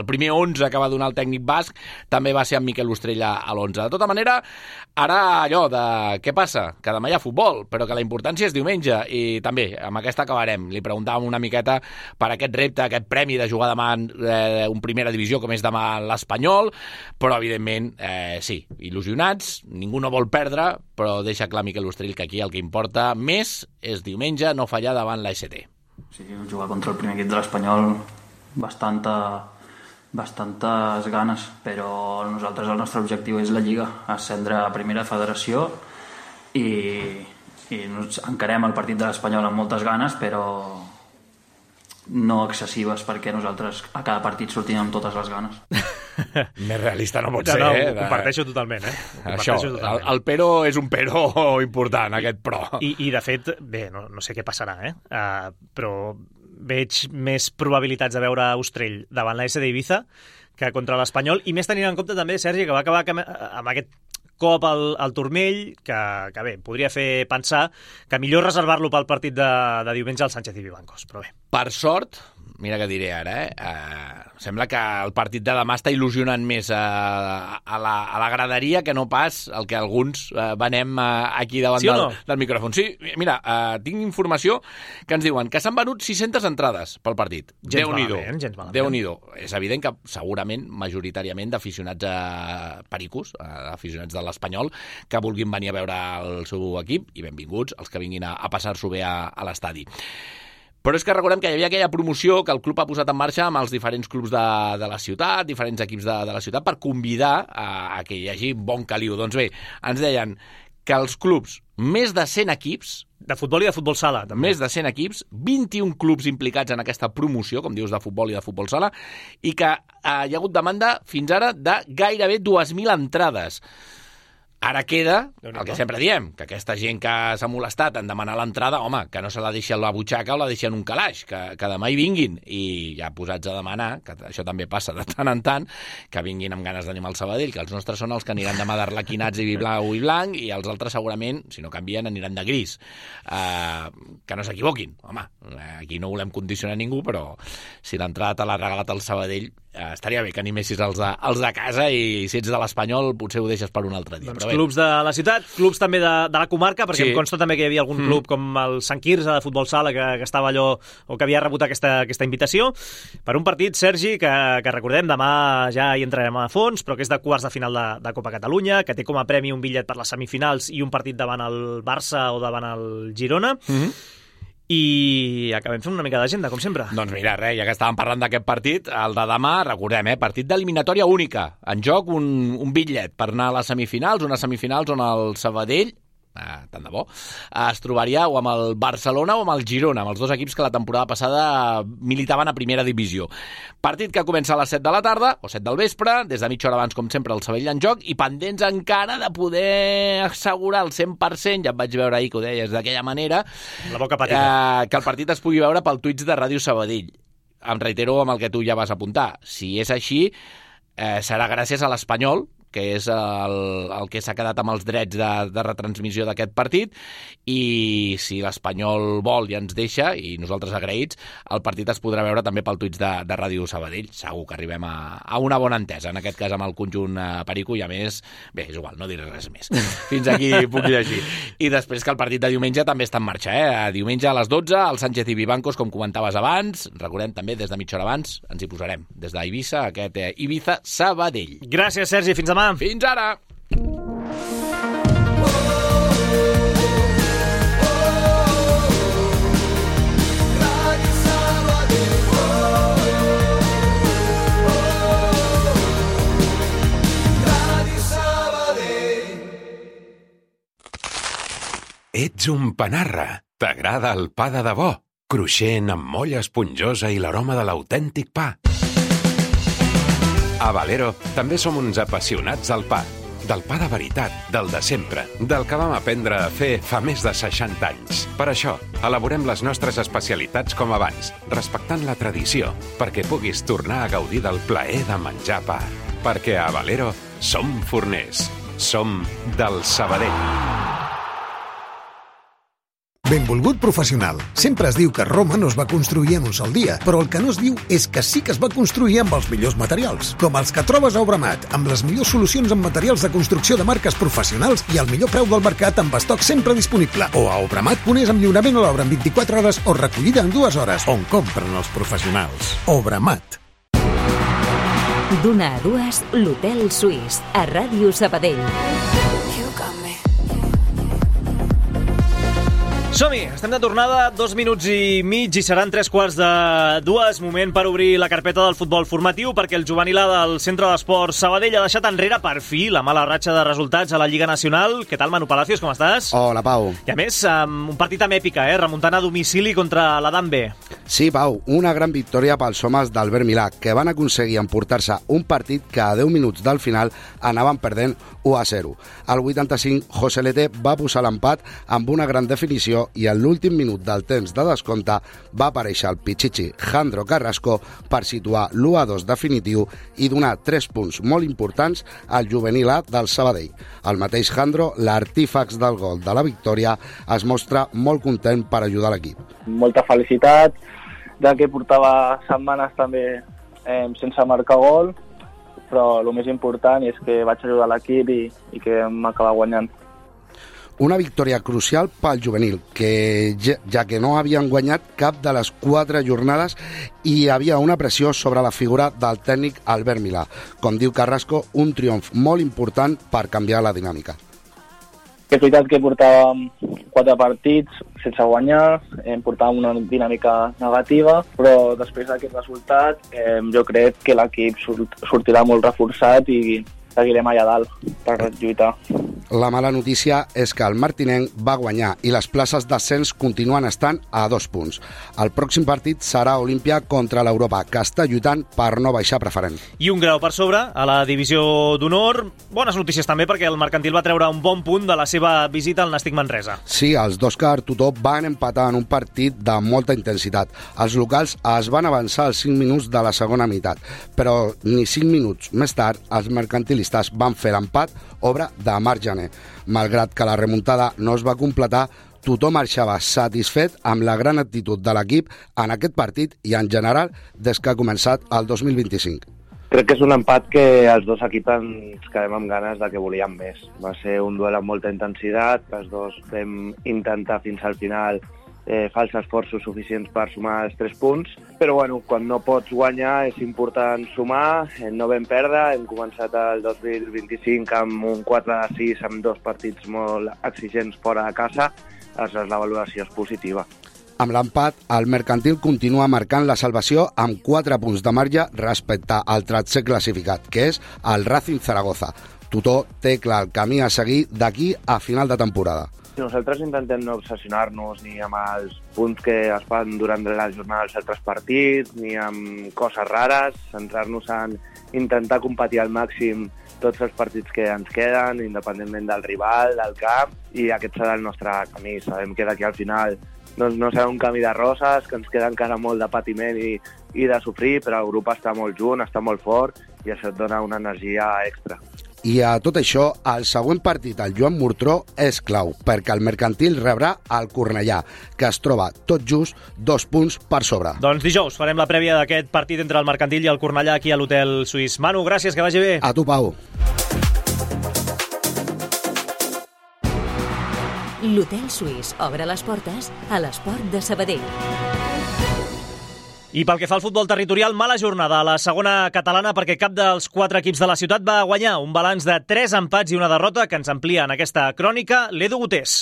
primer 11 que va donar el tècnic basc també va ser amb Miquel Ostrell a l'11. De tota manera, ara allò de què passa? Que demà hi ha futbol, però que la importància és diumenge, i també amb aquesta acabarem. Li preguntàvem una miqueta per aquest repte, aquest premi de jugar demà en primera divisió, com és demà l'Espanyol, però evidentment, sí, il·lusionats, ningú no vol perdre, però deixa clar Miquel Ostrell que aquí el que importa més és diumenge no fallar davant l'AST. Sí, jugar contra el primer equip de l'Espanyol, bastantes ganes, però nosaltres el nostre objectiu és la Lliga, ascendre a primera federació, i encarem el partit de l'Espanyol amb moltes ganes, però no excessives, perquè nosaltres a cada partit sortim amb totes les ganes. Més realista no pot ser, ho comparteixo totalment, Això, el però és un però important, aquest però. I de fet, bé, no sé què passarà, però veig més probabilitats de veure Austrell davant la SD Ibiza que contra l'Espanyol, i més tenint en compte també, Sergi, que va acabar amb aquest cop al turmell, que bé, podria fer pensar que millor reservar-lo pel partit de diumenge al Sánchez i Vivancos, però bé. Per sort, mira què diré ara, sembla que el partit de demà està il·lusionant més a la graderia que no pas el que alguns venem aquí davant del micròfon. Sí, mira, tinc informació que ens diuen que s'han venut 600 entrades pel partit. Déu-n'hi-do. És evident que segurament, majoritàriament, d'aficionats pericos, aficionats de l'Espanyol, que vulguin venir a veure el seu equip, i benvinguts els que vinguin a passar-s'ho bé a l'estadi. Però és que recordem que hi havia aquella promoció que el club ha posat en marxa amb els diferents clubs de la ciutat, diferents equips de la ciutat, per convidar a que hi hagi bon caliu. Doncs bé, ens deien que els clubs, més de 100 equips... De futbol i de futbol sala, també. Més de 100 equips, 21 clubs implicats en aquesta promoció, com dius, de futbol i de futbol sala, i que hi ha hagut demanda fins ara de gairebé 2.000 entrades. Ara queda el que sempre diem, que aquesta gent que s'ha molestat en demanar l'entrada, home, que no se la deixi a la butxaca o la deixi en un calaix, que demà hi vinguin. I ja posats a demanar, que això també passa de tant en tant, que vinguin amb ganes d'animar el Sabadell, que els nostres són els que aniran demà d'arlequinats i blau i blanc, i els altres segurament, si no canvien, aniran de gris. Que no s'equivoquin. Home, aquí no volem condicionar ningú, però si l'entrada te l'ha regalat el Sabadell, estaria bé que animessis els de casa, i si ets de l'Espanyol potser ho deixes per un altre dia. Doncs clubs de la ciutat, clubs també de la comarca, perquè em consta també que hi havia algun club com el Sant Quirze de futbol sala que estava allò, o que havia rebut aquesta invitació per un partit, Sergi, que recordem, demà ja hi entrarem a fons, però que és de quarts de final de Copa Catalunya, que té com a premi un bitllet per les semifinals i un partit davant el Barça o davant el Girona. I acabem fent una mica d'agenda, com sempre. Doncs mira, ja que estàvem parlant d'aquest partit, el de demà, recordem, partit d'eliminatòria única. En joc un bitllet per anar a les semifinals, unes semifinals on el Sabadell, tant de bo, es trobaria o amb el Barcelona o amb el Girona, amb els dos equips que la temporada passada militaven a primera divisió. Partit que comença a les 7 de la tarda, o 7 del vespre, des de mitja hora abans, com sempre, el Sabadell en joc, i pendents encara de poder assegurar el 100%, ja et vaig veure ahir que ho deies d'aquella manera, la boca petita, que el partit es pugui veure pel Twitch de Ràdio Sabadell. Em reitero amb el que tu ja vas apuntar. Si és així, serà gràcies a l'Espanyol, que és el que s'ha quedat amb els drets de retransmissió d'aquest partit, i si l'Espanyol vol i ens deixa, i nosaltres agraïts, el partit es podrà veure també pel Twitch de Ràdio Sabadell. Segur que arribem a una bona entesa, en aquest cas amb el conjunt perico, i a més, bé, és igual, no diré res més. Fins aquí puc llegir. I després que el partit de diumenge també està en marxa, Diumenge a les 12, el Sánchez i Vivancos, com comentaves abans, recordem també des de mitja hora abans, ens hi posarem, des d'Eivissa, aquest Ibiza Sabadell. Gràcies, Sergi, fins demà. Fins ara! Ets un panarra. T'agrada el pa de debò? Cruixent, amb molla esponjosa i l'aroma de l'autèntic pa. A Valero també som uns apassionats del pa. Del pa de veritat, del de sempre, del que vam aprendre a fer fa més de 60 anys. Per això, elaborem les nostres especialitats com abans, respectant la tradició, perquè puguis tornar a gaudir del plaer de menjar pa. Perquè a Valero som forners. Som del Sabadell. Benvolgut professional. Sempre es diu que Roma no es va construir en un sol dia, però el que no es diu és que sí que es va construir amb els millors materials, com els que trobes a Obramat, amb les millors solucions en materials de construcció de marques professionals i el millor preu del mercat amb estoc sempre disponible. O a Obramat.es amb lliurament a l'obra en 24 hores o recollida en 2 hores, on compren els professionals. Obramat. D'una a dues, l'Hotel Suís, a Ràdio Sabadell. Som-hi, estem de tornada, 2 minuts i mig i seran 3:45. Moment per obrir la carpeta del futbol formatiu perquè el juvenil A del Centre d'Esports Sabadell ha deixat enrere per fi la mala ratxa de resultats a la Lliga Nacional. Què tal, Manu Palacios, com estàs? Hola, Pau. I a més, un partit amb èpica, remuntant a domicili contra l'Adam B. Sí, Pau, una gran victòria pels homes d'Albert Milà, que van aconseguir emportar-se un partit que a 10 minuts del final anaven perdent 1-0. Al 85, José Lete va posar l'empat amb una gran definició i en l'últim minut del temps de descompte va aparèixer el pitxitxi Jandro Carrasco per situar l'1-2 definitiu i donar 3 punts molt importants al juvenil A del Sabadell. El mateix Jandro, l'artífax del gol de la victòria, es mostra molt content per ajudar l'equip. Molta felicitat, ja que portava setmanes també sense marcar gol, però el més important és que vaig ajudar l'equip i que m'acaba guanyant. Una victòria crucial pel juvenil, que ja que no havien guanyat cap de les 4 jornades i hi havia una pressió sobre la figura del tècnic Albert Milà. Com diu Carrasco, un triomf molt important per canviar la dinàmica. És veritat que portàvem 4 partits sense guanyar, portàvem una dinàmica negativa, però després d'aquest resultat jo crec que l'equip sortirà molt reforçat i seguirem allà dalt per lluitar. La mala notícia és que el martinenc va guanyar i les places d'ascens continuen estant a 2 punts. El pròxim partit serà Olímpia contra l'Europa, que està lluitant per no baixar preferent. I un grau per sobre a la divisió d'honor. Bones notícies també perquè el Mercantil va treure un bon punt de la seva visita al Nàstic Manresa. Sí, els d'Òscar Tutó van empatar en un partit de molta intensitat. Els locals es van avançar als 5 minuts de la segona meitat, però ni 5 minuts més tard els mercantilistes van fer l'empat, obra de Marc Jané. Malgrat que la remuntada no es va completar, tothom marxava satisfet amb la gran actitud de l'equip en aquest partit i en general des que ha començat el 2025. Crec que és un empat que els dos equips ens quedem amb ganes de que volíem més. Va ser un duel amb molta intensitat, els dos vam intentar fins al final fer els esforços suficients per sumar els 3 punts, però bueno, quan no pots guanyar és important sumar, no vam perdre, hem començat el 2025 amb un 4-6 amb 2 partits molt exigents fora de casa, aleshores la valoració és positiva. Amb l'empat, el Mercantil continua marcant la salvació amb 4 punts de marge respecte al tercer classificat, que és el Racing Zaragoza. Tutó té clar el camí a seguir d'aquí a final de temporada. Nosaltres intentem no obsessionar-nos ni amb els punts que es fan durant la jornada dels altres partits, ni amb coses rares, centrar-nos en intentar competir al màxim tots els partits que ens queden, independentment del rival, del camp, i aquest serà el nostre camí. Sabem que d'aquí al final doncs no serà un camí de roses, que ens queda encara molt de patiment i de sofrir, però el grup està molt junt, està molt fort, i això et dona una energia extra. I a tot això, el següent partit al Joan Murtró és clau, perquè el Mercantil rebrà el Cornellà, que es troba tot just 2 punts per sobre. Doncs dijous farem la prèvia d'aquest partit entre el Mercantil i el Cornellà aquí a l'Hotel Suís. Manu, gràcies, que vagi bé. A tu, Pau. L'Hotel Suís obre les portes a l'Esport de Sabadell. I pel que fa al futbol territorial, mala jornada a la segona catalana perquè cap dels 4 equips de la ciutat va guanyar. Un balanç de 3 empats i una derrota que ens amplia en aquesta crònica l'Edu Gutés.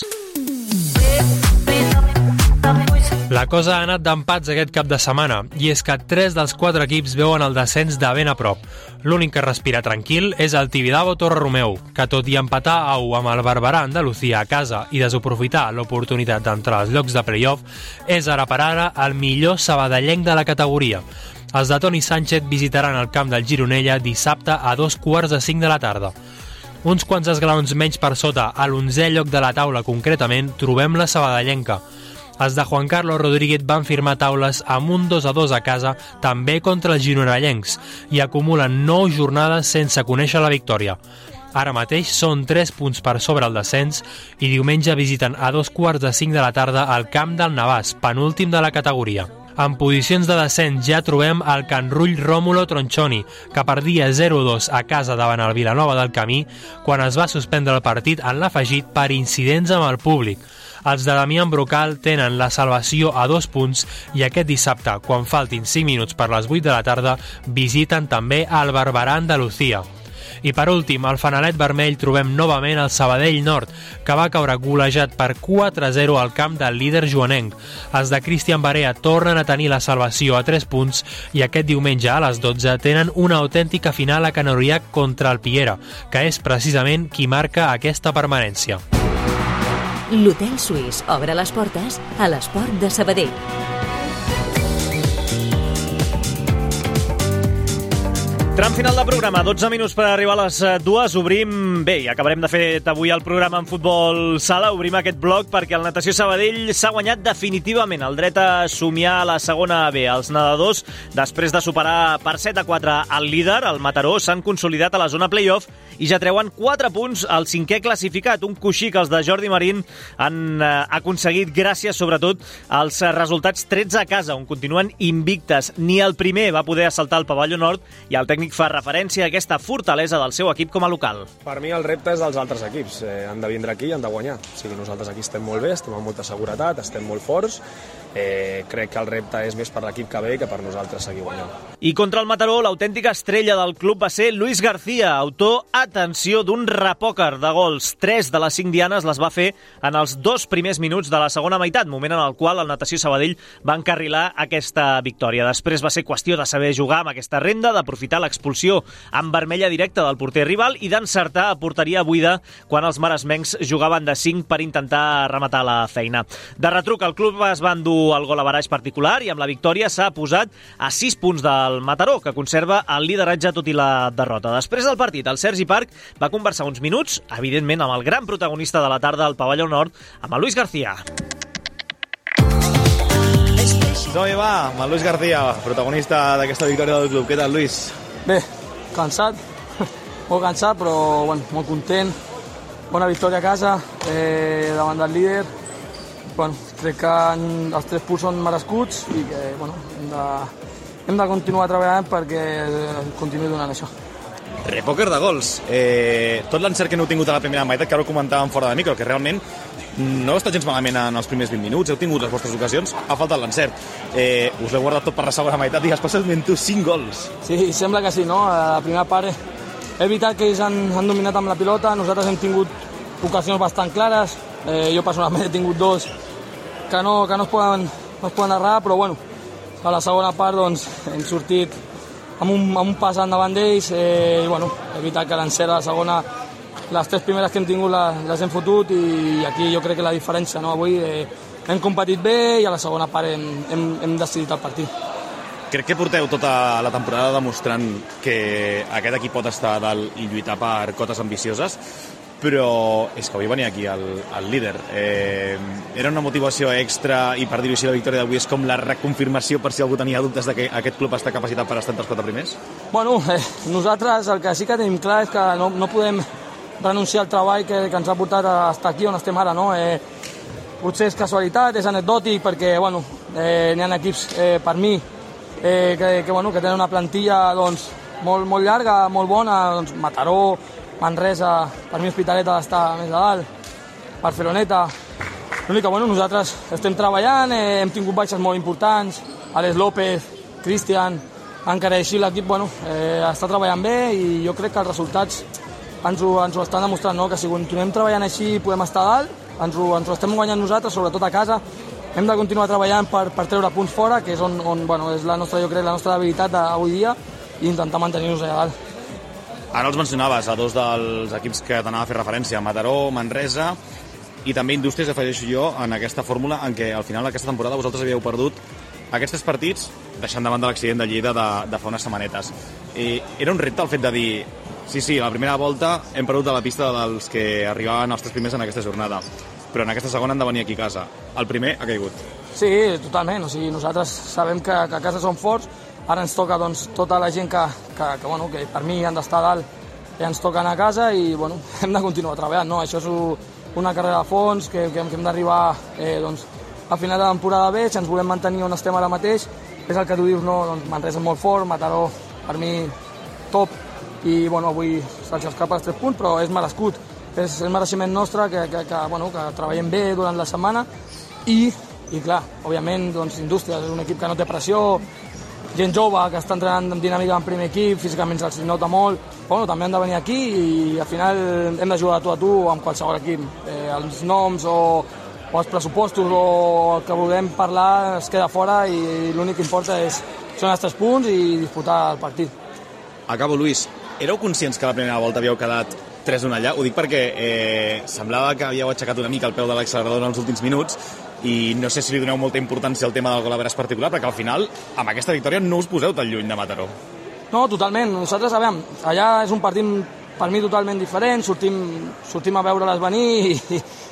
La cosa ha anat d'empats aquest cap de setmana, i és que 3 dels 4 equips veuen el descens de ben a prop. L'únic que respira tranquil és el Tibidabo Torre-Romeu, que tot i empatar a 1 amb el Barberà Andalucía a casa i desaprofitar l'oportunitat d'entrar als llocs de play-off, és ara per ara el millor sabadellenc de la categoria. Els de Toni Sánchez visitaran el camp del Gironella dissabte a 2:45 de la tarda. Uns quants esglaons menys per sota, a l'11è lloc de la taula concretament, trobem la sabadellenca. Els de Juan Carlos Rodríguez van firmar taules amb un 2-2 a casa, també contra els gironellencs, i acumulen 9 jornades sense conèixer la victòria. Ara mateix són 3 punts per sobre el descens i diumenge visiten a 2:45 de la tarda al camp del Navàs, penúltim de la categoria. En posicions de descens ja trobem el Can Rull Rómulo Tronchoni, que perdia 0-2 a casa davant el Vilanova del Camí quan es va suspendre el partit en l'afegit per incidents amb el públic. Els de Damián Brocal tenen la salvació a 2 punts i aquest dissabte, quan faltin 5 minuts per les 8 de la tarda, visiten també el Barberà Andalucía. I per últim, al fanalet vermell trobem novament el Sabadell Nord, que va caure golejat per 4-0 al camp del líder joanenc. Els de Cristian Barea tornen a tenir la salvació a 3 punts i aquest diumenge a les 12 tenen una autèntica final a Can Oriac contra el Piera, que és precisament qui marca aquesta permanència. L'Hotel Suís obre les portes a l'Esport de Sabadell. Tram final de programa, 12 minuts per arribar a les 2. Obrim, bé, i acabarem de fer avui el programa en futbol sala, obrim aquest bloc perquè el Natació Sabadell s'ha guanyat definitivament el dret a somiar a la segona B. Els nedadors, després de superar per 7-4 el líder, el Mataró, s'han consolidat a la zona play-off i ja treuen 4 punts al 5è classificat, un coixí que els de Jordi Marín han aconseguit gràcies, sobretot, als resultats 13 a casa, on continuen invictes. Ni el primer va poder assaltar el pavelló nord i el tècnic fa referència a aquesta fortalesa del seu equip com a local. Per mi el repte és dels altres equips. Han de vindre aquí i han de guanyar. O sigui, nosaltres aquí estem molt bé, estem amb molta seguretat, estem molt forts. Crec que el repte és més per l'equip que ve que per nosaltres seguir guanyant. I contra el Mataró, l'autèntica estrella del club va ser Luis García, autor, atenció, d'un repòquer de gols. 3 de les 5 dianes les va fer en els 2 primers minuts de la segona meitat, moment en el qual el Natació Sabadell va encarrilar aquesta victòria. Després va ser qüestió de saber jugar amb aquesta renda, d'aprofitar l'expulsió en vermella directa del porter rival i d'encertar a porteria buida quan els maresmencs jugaven de 5 per intentar rematar la feina. De retruc, el club es va endur el gol a baraix particular i amb la victòria s'ha posat a 6 punts del Mataró, que conserva el lideratge tot i la derrota. Després del partit, el Sergi Parc va conversar uns minuts, evidentment amb el gran protagonista de la tarda al pavelló nord, amb el Luis García. Com va? Amb el Luis García, protagonista d'aquesta victòria del club. Què tal, Luis? Bé, cansat, molt cansat, però bueno, molt content. Bona victòria a casa, davant del líder. Bueno, crec que els 3 punts són merescuts i que bueno, hem de continuar treballant perquè continuï donant això. Repòquer de gols. Tot l'encert que no heu tingut a la primera meitat, que ara ho comentàvem fora de micro, que realment no heu estat gens malament en els primers 20 minuts, heu tingut les vostres ocasions, ha faltat l'encert. Us l'heu guardat tot per la segona meitat i especialment tu 5 gols. Sí, sembla que sí, no? A la primera part és veritat que ells han dominat amb la pilota, nosaltres hem tingut ocasions bastant clares, jo personalment he tingut 2 que no es poden errar, però bueno, a la segona part doncs, hem sortit amb un pas endavant d'ells i bueno, és veritat que l'encert a la segona, les 3 primeres que hem tingut les hem fotut i aquí jo crec que la diferència, no? Avui hem competit bé i a la segona part hem decidit el partit. Crec que porteu tota la temporada demostrant que aquest equip pot estar a dalt i lluitar per cotes ambicioses, però és que avui venia aquí el líder. Era una motivació extra i, per dir-ho així, la victòria d'avui és com la reconfirmació per si algú tenia dubtes de que aquest club està capacitat per estar entre els 4 primers? Bueno, nosaltres el que sí que tenim clar és que no podem renunciar al treball que ens ha portat a estar aquí on estem ara, no? Potser és casualitat, és anecdòtic, perquè bueno, n'hi ha equips per mi que tenen una plantilla doncs, molt llarga, molt bona, doncs, Mataró, Manresa, per mi Hospitalet ha d'estar més a dalt, Barceloneta. L'únic que nosaltres estem treballant, hem tingut baixes molt importants, Alex López, Cristian, encara així l'equip està treballant bé i jo crec que els resultats ens ho estan demostrant, no? Que si continuem treballant així podem estar a dalt, ens ho estem guanyant nosaltres, sobretot a casa. Hem de continuar treballant per treure punts fora, que és on és la nostra, jo crec, la nostra debilitat d'avui dia, i intentar mantenir-nos allà dalt. Ara els mencionaves a 2 dels equips que t'anava a fer referència, Mataró, Manresa i també Indústries, afegeixo jo, en aquesta fórmula en què al final d'aquesta temporada vosaltres havíeu perdut aquests 3 partits, deixant davant de l'accident de Lleida de fa unes setmanetes. Era un repte el fet de dir sí, la primera volta hem perdut a la pista dels que arribaven els 3 primers en aquesta jornada, però en aquesta segona han de venir aquí a casa. El primer ha caigut. Sí, totalment. O sigui, nosaltres sabem que a casa som forts. Ara ens toca tota la gent que per mi han d'estar a dalt i ens toca anar a casa i hem de continuar treballant, no? Això és una carrera a fons que hem d'arribar a final de temporada bé. Si ens volem mantenir on estem ara mateix, és el que tu dius, no? Doncs Manresa és molt fort, Mataró per mi top i avui se'ls escapa els 3 punts, però és merescut, és mereixement nostre que treballem bé durant la setmana i clar, òbviament Indústries és un equip que no té pressió, gent jove que està entrenant amb dinàmica en primer equip, físicament se'ls nota molt, bueno, també han de venir aquí i al final hem de jugar de tu amb qualsevol equip. Els noms o els pressupostos o el que vulguem parlar es queda fora i l'únic que importa són els 3 punts i disputar el partit. Acabo, Luis. Éreu conscients que la primera volta havíeu quedat 3-1 allà? Ho dic perquè semblava que havíeu aixecat una mica el peu de l'accelerador en els últims minuts i no sé si li doneu molta importància al tema del gol a veres particular, perquè al final, amb aquesta victòria, no us poseu tan lluny de Mataró. No, totalment. Nosaltres, allà és un partit per mi totalment diferent, sortim a veure-les venir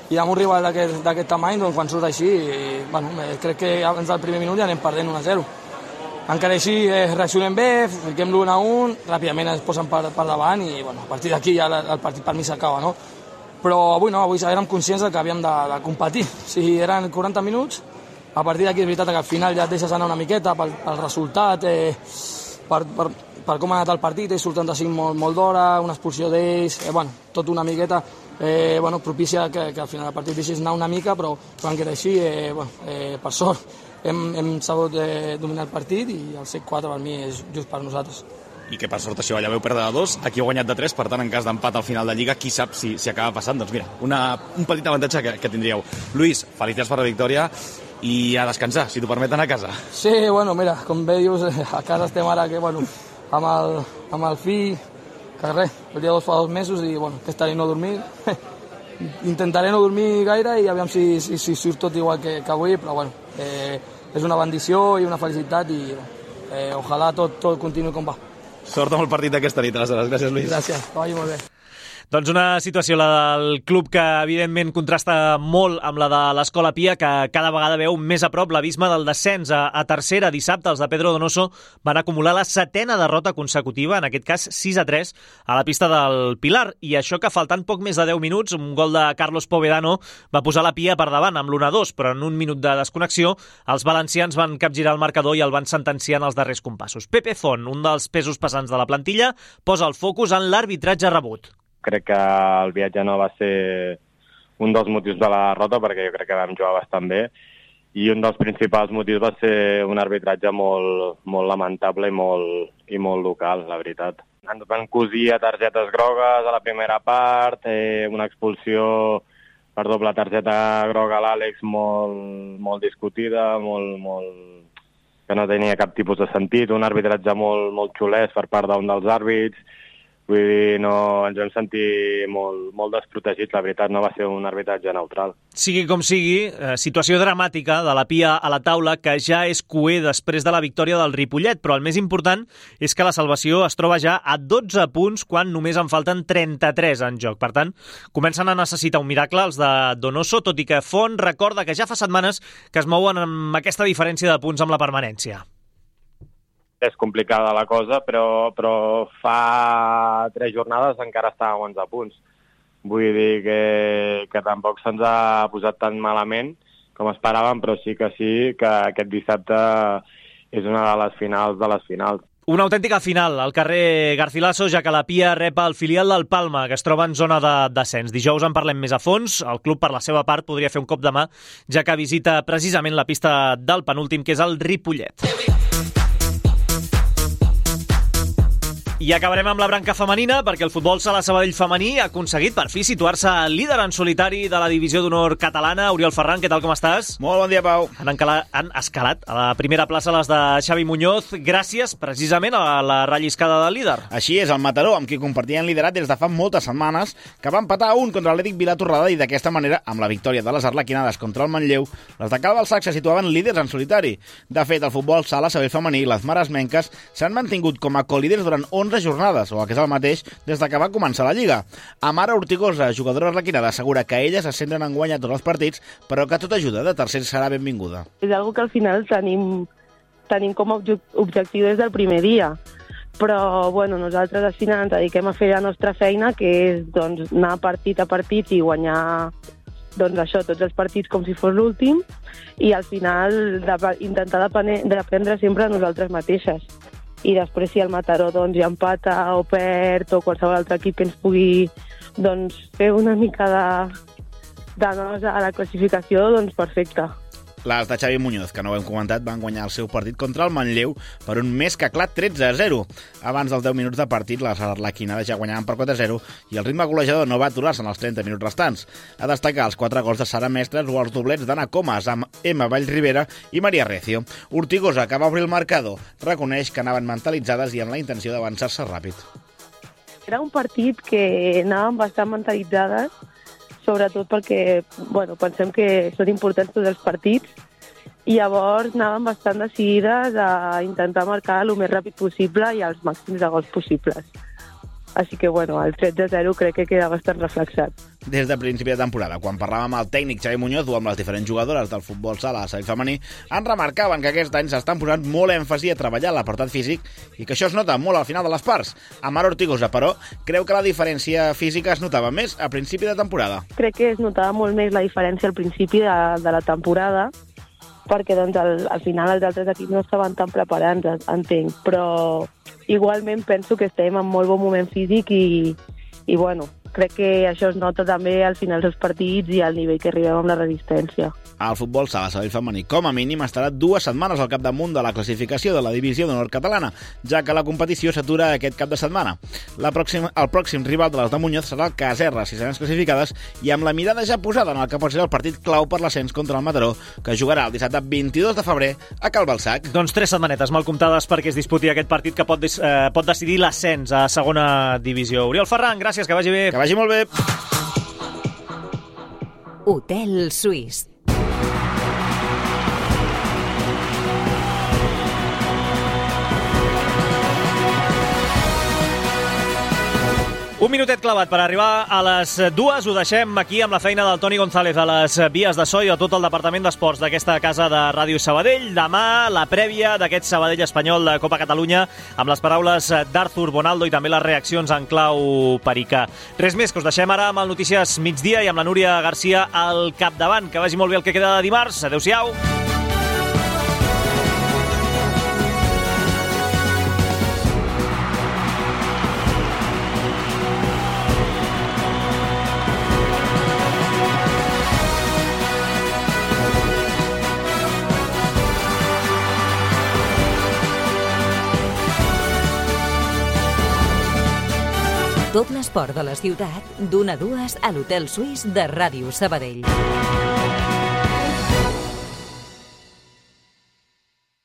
i amb un rival d'aquest tamany, doncs quan surt així, crec que abans del primer minut ja anem perdent 1-0. Encara així reaccionem bé, fiquem l'1-1, ràpidament es posen per davant i a partir d'aquí ja el partit per mi s'acaba, no? Però avui no, avui érem conscients que havíem de competir. Si eren 40 minuts, a partir d'aquí és veritat que al final ja et deixes anar una miqueta pel resultat, per com ha anat el partit, ells surten de 5 molt d'hora, una expulsió d'ells, tot una miqueta propicia que al final el partit deixis anar una mica, però encara així, per sort, hem sabut dominar el partit i el 7-4 per mi és just per nosaltres. I que per sort això, allà veu perdre de 2, aquí heu guanyat de 3, per tant en cas d'empat al final de Lliga, qui sap si acaba passant, doncs mira, un petit avantatge que tindríeu. Luis, felicitats per la victòria i a descansar, si t'ho permeten, a casa. Sí, mira, com bé dius, a casa estem ara que, amb el fill, que res, el dia 2 fa 2 mesos i aquesta nit no dormir. Intentaré no dormir gaire i aviam si surt tot igual que avui, però és una bendició i una felicitat i ojalà tot continuï com va. Sort amb el partit d'aquesta nit, aleshores. Gràcies, Luis. Gràcies, que vagi molt bé. Doncs una situació, la del club, que evidentment contrasta molt amb la de l'Escola Pia, que cada vegada veu més a prop l'abisme del descens a tercera. Dissabte els de Pedro Donoso van acumular la 7ª derrota consecutiva, en aquest cas 6-3, a la pista del Pilar. I això que faltant poc més de 10 minuts, un gol de Carlos Povedano va posar la Pia per davant amb l'1-2, però en un minut de desconnexió els valencians van capgirar el marcador i el van sentenciar en els darrers compassos. Pepe Font, un dels pesos pesants de la plantilla, posa el focus en l'arbitratge rebut. Crec que el viatge no va ser un dels motius de la derrota, perquè jo crec que vam jugar bastant bé, i un dels principals motius va ser un arbitratge molt lamentable i molt local, la veritat. Ens van cosir a targetes grogues a la primera part, una expulsió per doble targeta groga a l'Àlex molt discutida, que no tenia cap tipus de sentit, un arbitratge molt xulès per part d'un dels àrbits. Vull dir, ens vam sentir molt desprotegits, la veritat, no va ser un arbitratge neutral. Sigui com sigui, situació dramàtica de la Pia a la taula, que ja és cuer després de la victòria del Ripollet, però el més important és que la salvació es troba ja a 12 punts quan només en falten 33 en joc. Per tant, comencen a necessitar un miracle els de Donoso, tot i que Font recorda que ja fa setmanes que es mouen amb aquesta diferència de punts amb la permanència. És complicada la cosa, però fa 3 jornades encara estàvem a 11 punts. Vull dir que tampoc se'ns ha posat tan malament com esperàvem, però sí que aquest dissabte és una de les finals de les finals. Una autèntica final al carrer Garcilaso, ja que la Pia rep el filial del Palma, que es troba en zona de descens. Dijous en parlem més a fons. El club, per la seva part, podria fer un cop de mà, ja que visita precisament la pista del penúltim, que és el Ripollet. I acabarem amb la branca femenina, perquè el futbol sala Sabadell femení ha aconseguit per fi situar-se líder en solitari de la divisió d'honor catalana. Oriol Ferran, què tal, com estàs? Molt bon dia, Pau. Han escalat a la primera plaça les de Xavi Muñoz, gràcies precisament a la relliscada del líder. Així és, el Mataró, amb qui compartien liderat des de fa moltes setmanes, que va empatar a 1 contra l'Atlètic Vilatorrada, i d'aquesta manera, amb la victòria de les arlequinades contra el Manlleu, les de Cal Balsac se situaven líders en solitari. De fet, el futbol sala Sabadell femení i les maresmenques s'han mantingut com a colíders durant 11 jornades, o el que és el mateix, des de que va començar la Lliga. Amara Ortigosa, jugadora arlequinada, assegura que elles es centren en guanyar tots els partits, però que tota ajuda de tercers serà benvinguda. És algo que al final tenim com a objectiu des del primer dia, però nosaltres al final ens dediquem a fer la nostra feina, que és anar partit a partit i guanyar tots els partits com si fos l'últim, i al final intentar dependre sempre de nosaltres mateixes. I després, si el Mataró ja empata o perd, o qualsevol altre equip que ens pugui fer una mica de nosa a la classificació, perfecte. Les de Xavi Muñoz, que no ho hem comentat, van guanyar el seu partit contra el Manlleu per un més que clar 13-0. Abans dels 10 minuts de partit, les arlequinades ja guanyaven per 4-0 i el ritme golejador no va aturar-se en els 30 minuts restants. A destacar els 4 gols de Sara Mestres o els doblets d'Anna Comas amb Emma Vallribera i Maria Recio. Ortigosa, que va obrir el marcador, reconeix que anaven mentalitzades i amb la intenció d'avançar-se ràpid. Era un partit que anàvem bastant mentalitzades, sobretot perquè pensem que són importants tots els partits, i llavors anàvem bastant decidides a intentar marcar el més ràpid possible i els màxims de gols possibles. Així que, el 13-0 crec que queda bastant reflexat. Des de principi de temporada, quan parlàvem amb el tècnic Xavi Muñoz o amb les diferents jugadores del futbol sala a Sabell femení, ens remarcaven que aquest any s'estan posant molt èmfasi a treballar l'apartat físic i que això es nota molt al final de les parts. Amar Ortigosa, però, creu que la diferència física es notava més a principi de temporada. Crec que es notava molt més la diferència al principi de la temporada, perquè al final els altres equips no estaven tan preparats, entenc, però igualment penso que estem en molt bon moment físic i crec que això es nota també al final dels partits i al nivell que arribem amb la resistència. El futbol sala Sabell femení, com a mínim, estarà 2 setmanes al capdamunt de la classificació de la divisió d'honor catalana, ja que la competició s'atura aquest cap de setmana. El pròxim rival de les de Muñoz serà el Caserra, si seran classificades, i amb la mirada ja posada en el que pot ser el partit clau per l'ascens contra el Mataró, que jugarà el dissabte 22 de febrer a Calbalsac. Doncs 3 setmanetes mal comptades perquè es disputi aquest partit que pot decidir l'ascens a segona divisió. Oriol Ferran, gràcies, que vagi bé. Que vagi molt bé. Hotel Suís. Un minutet clavat per arribar a les 2. Ho deixem aquí amb la feina del Toni González a les vies de so i a tot el departament d'esports d'aquesta casa de Ràdio Sabadell. Demà, la prèvia d'aquest Sabadell espanyol de Copa Catalunya amb les paraules d'Arthur Bonaldo i també les reaccions en clau pericà. Res més, que us deixem ara amb el Notícies Migdia i amb la Núria Garcia al capdavant. Que vagi molt bé el que queda de dimarts. Adéu-siau. Tot l'esport de la ciutat, d'1 a 2 a l'Hotel Suís de Ràdio Sabadell.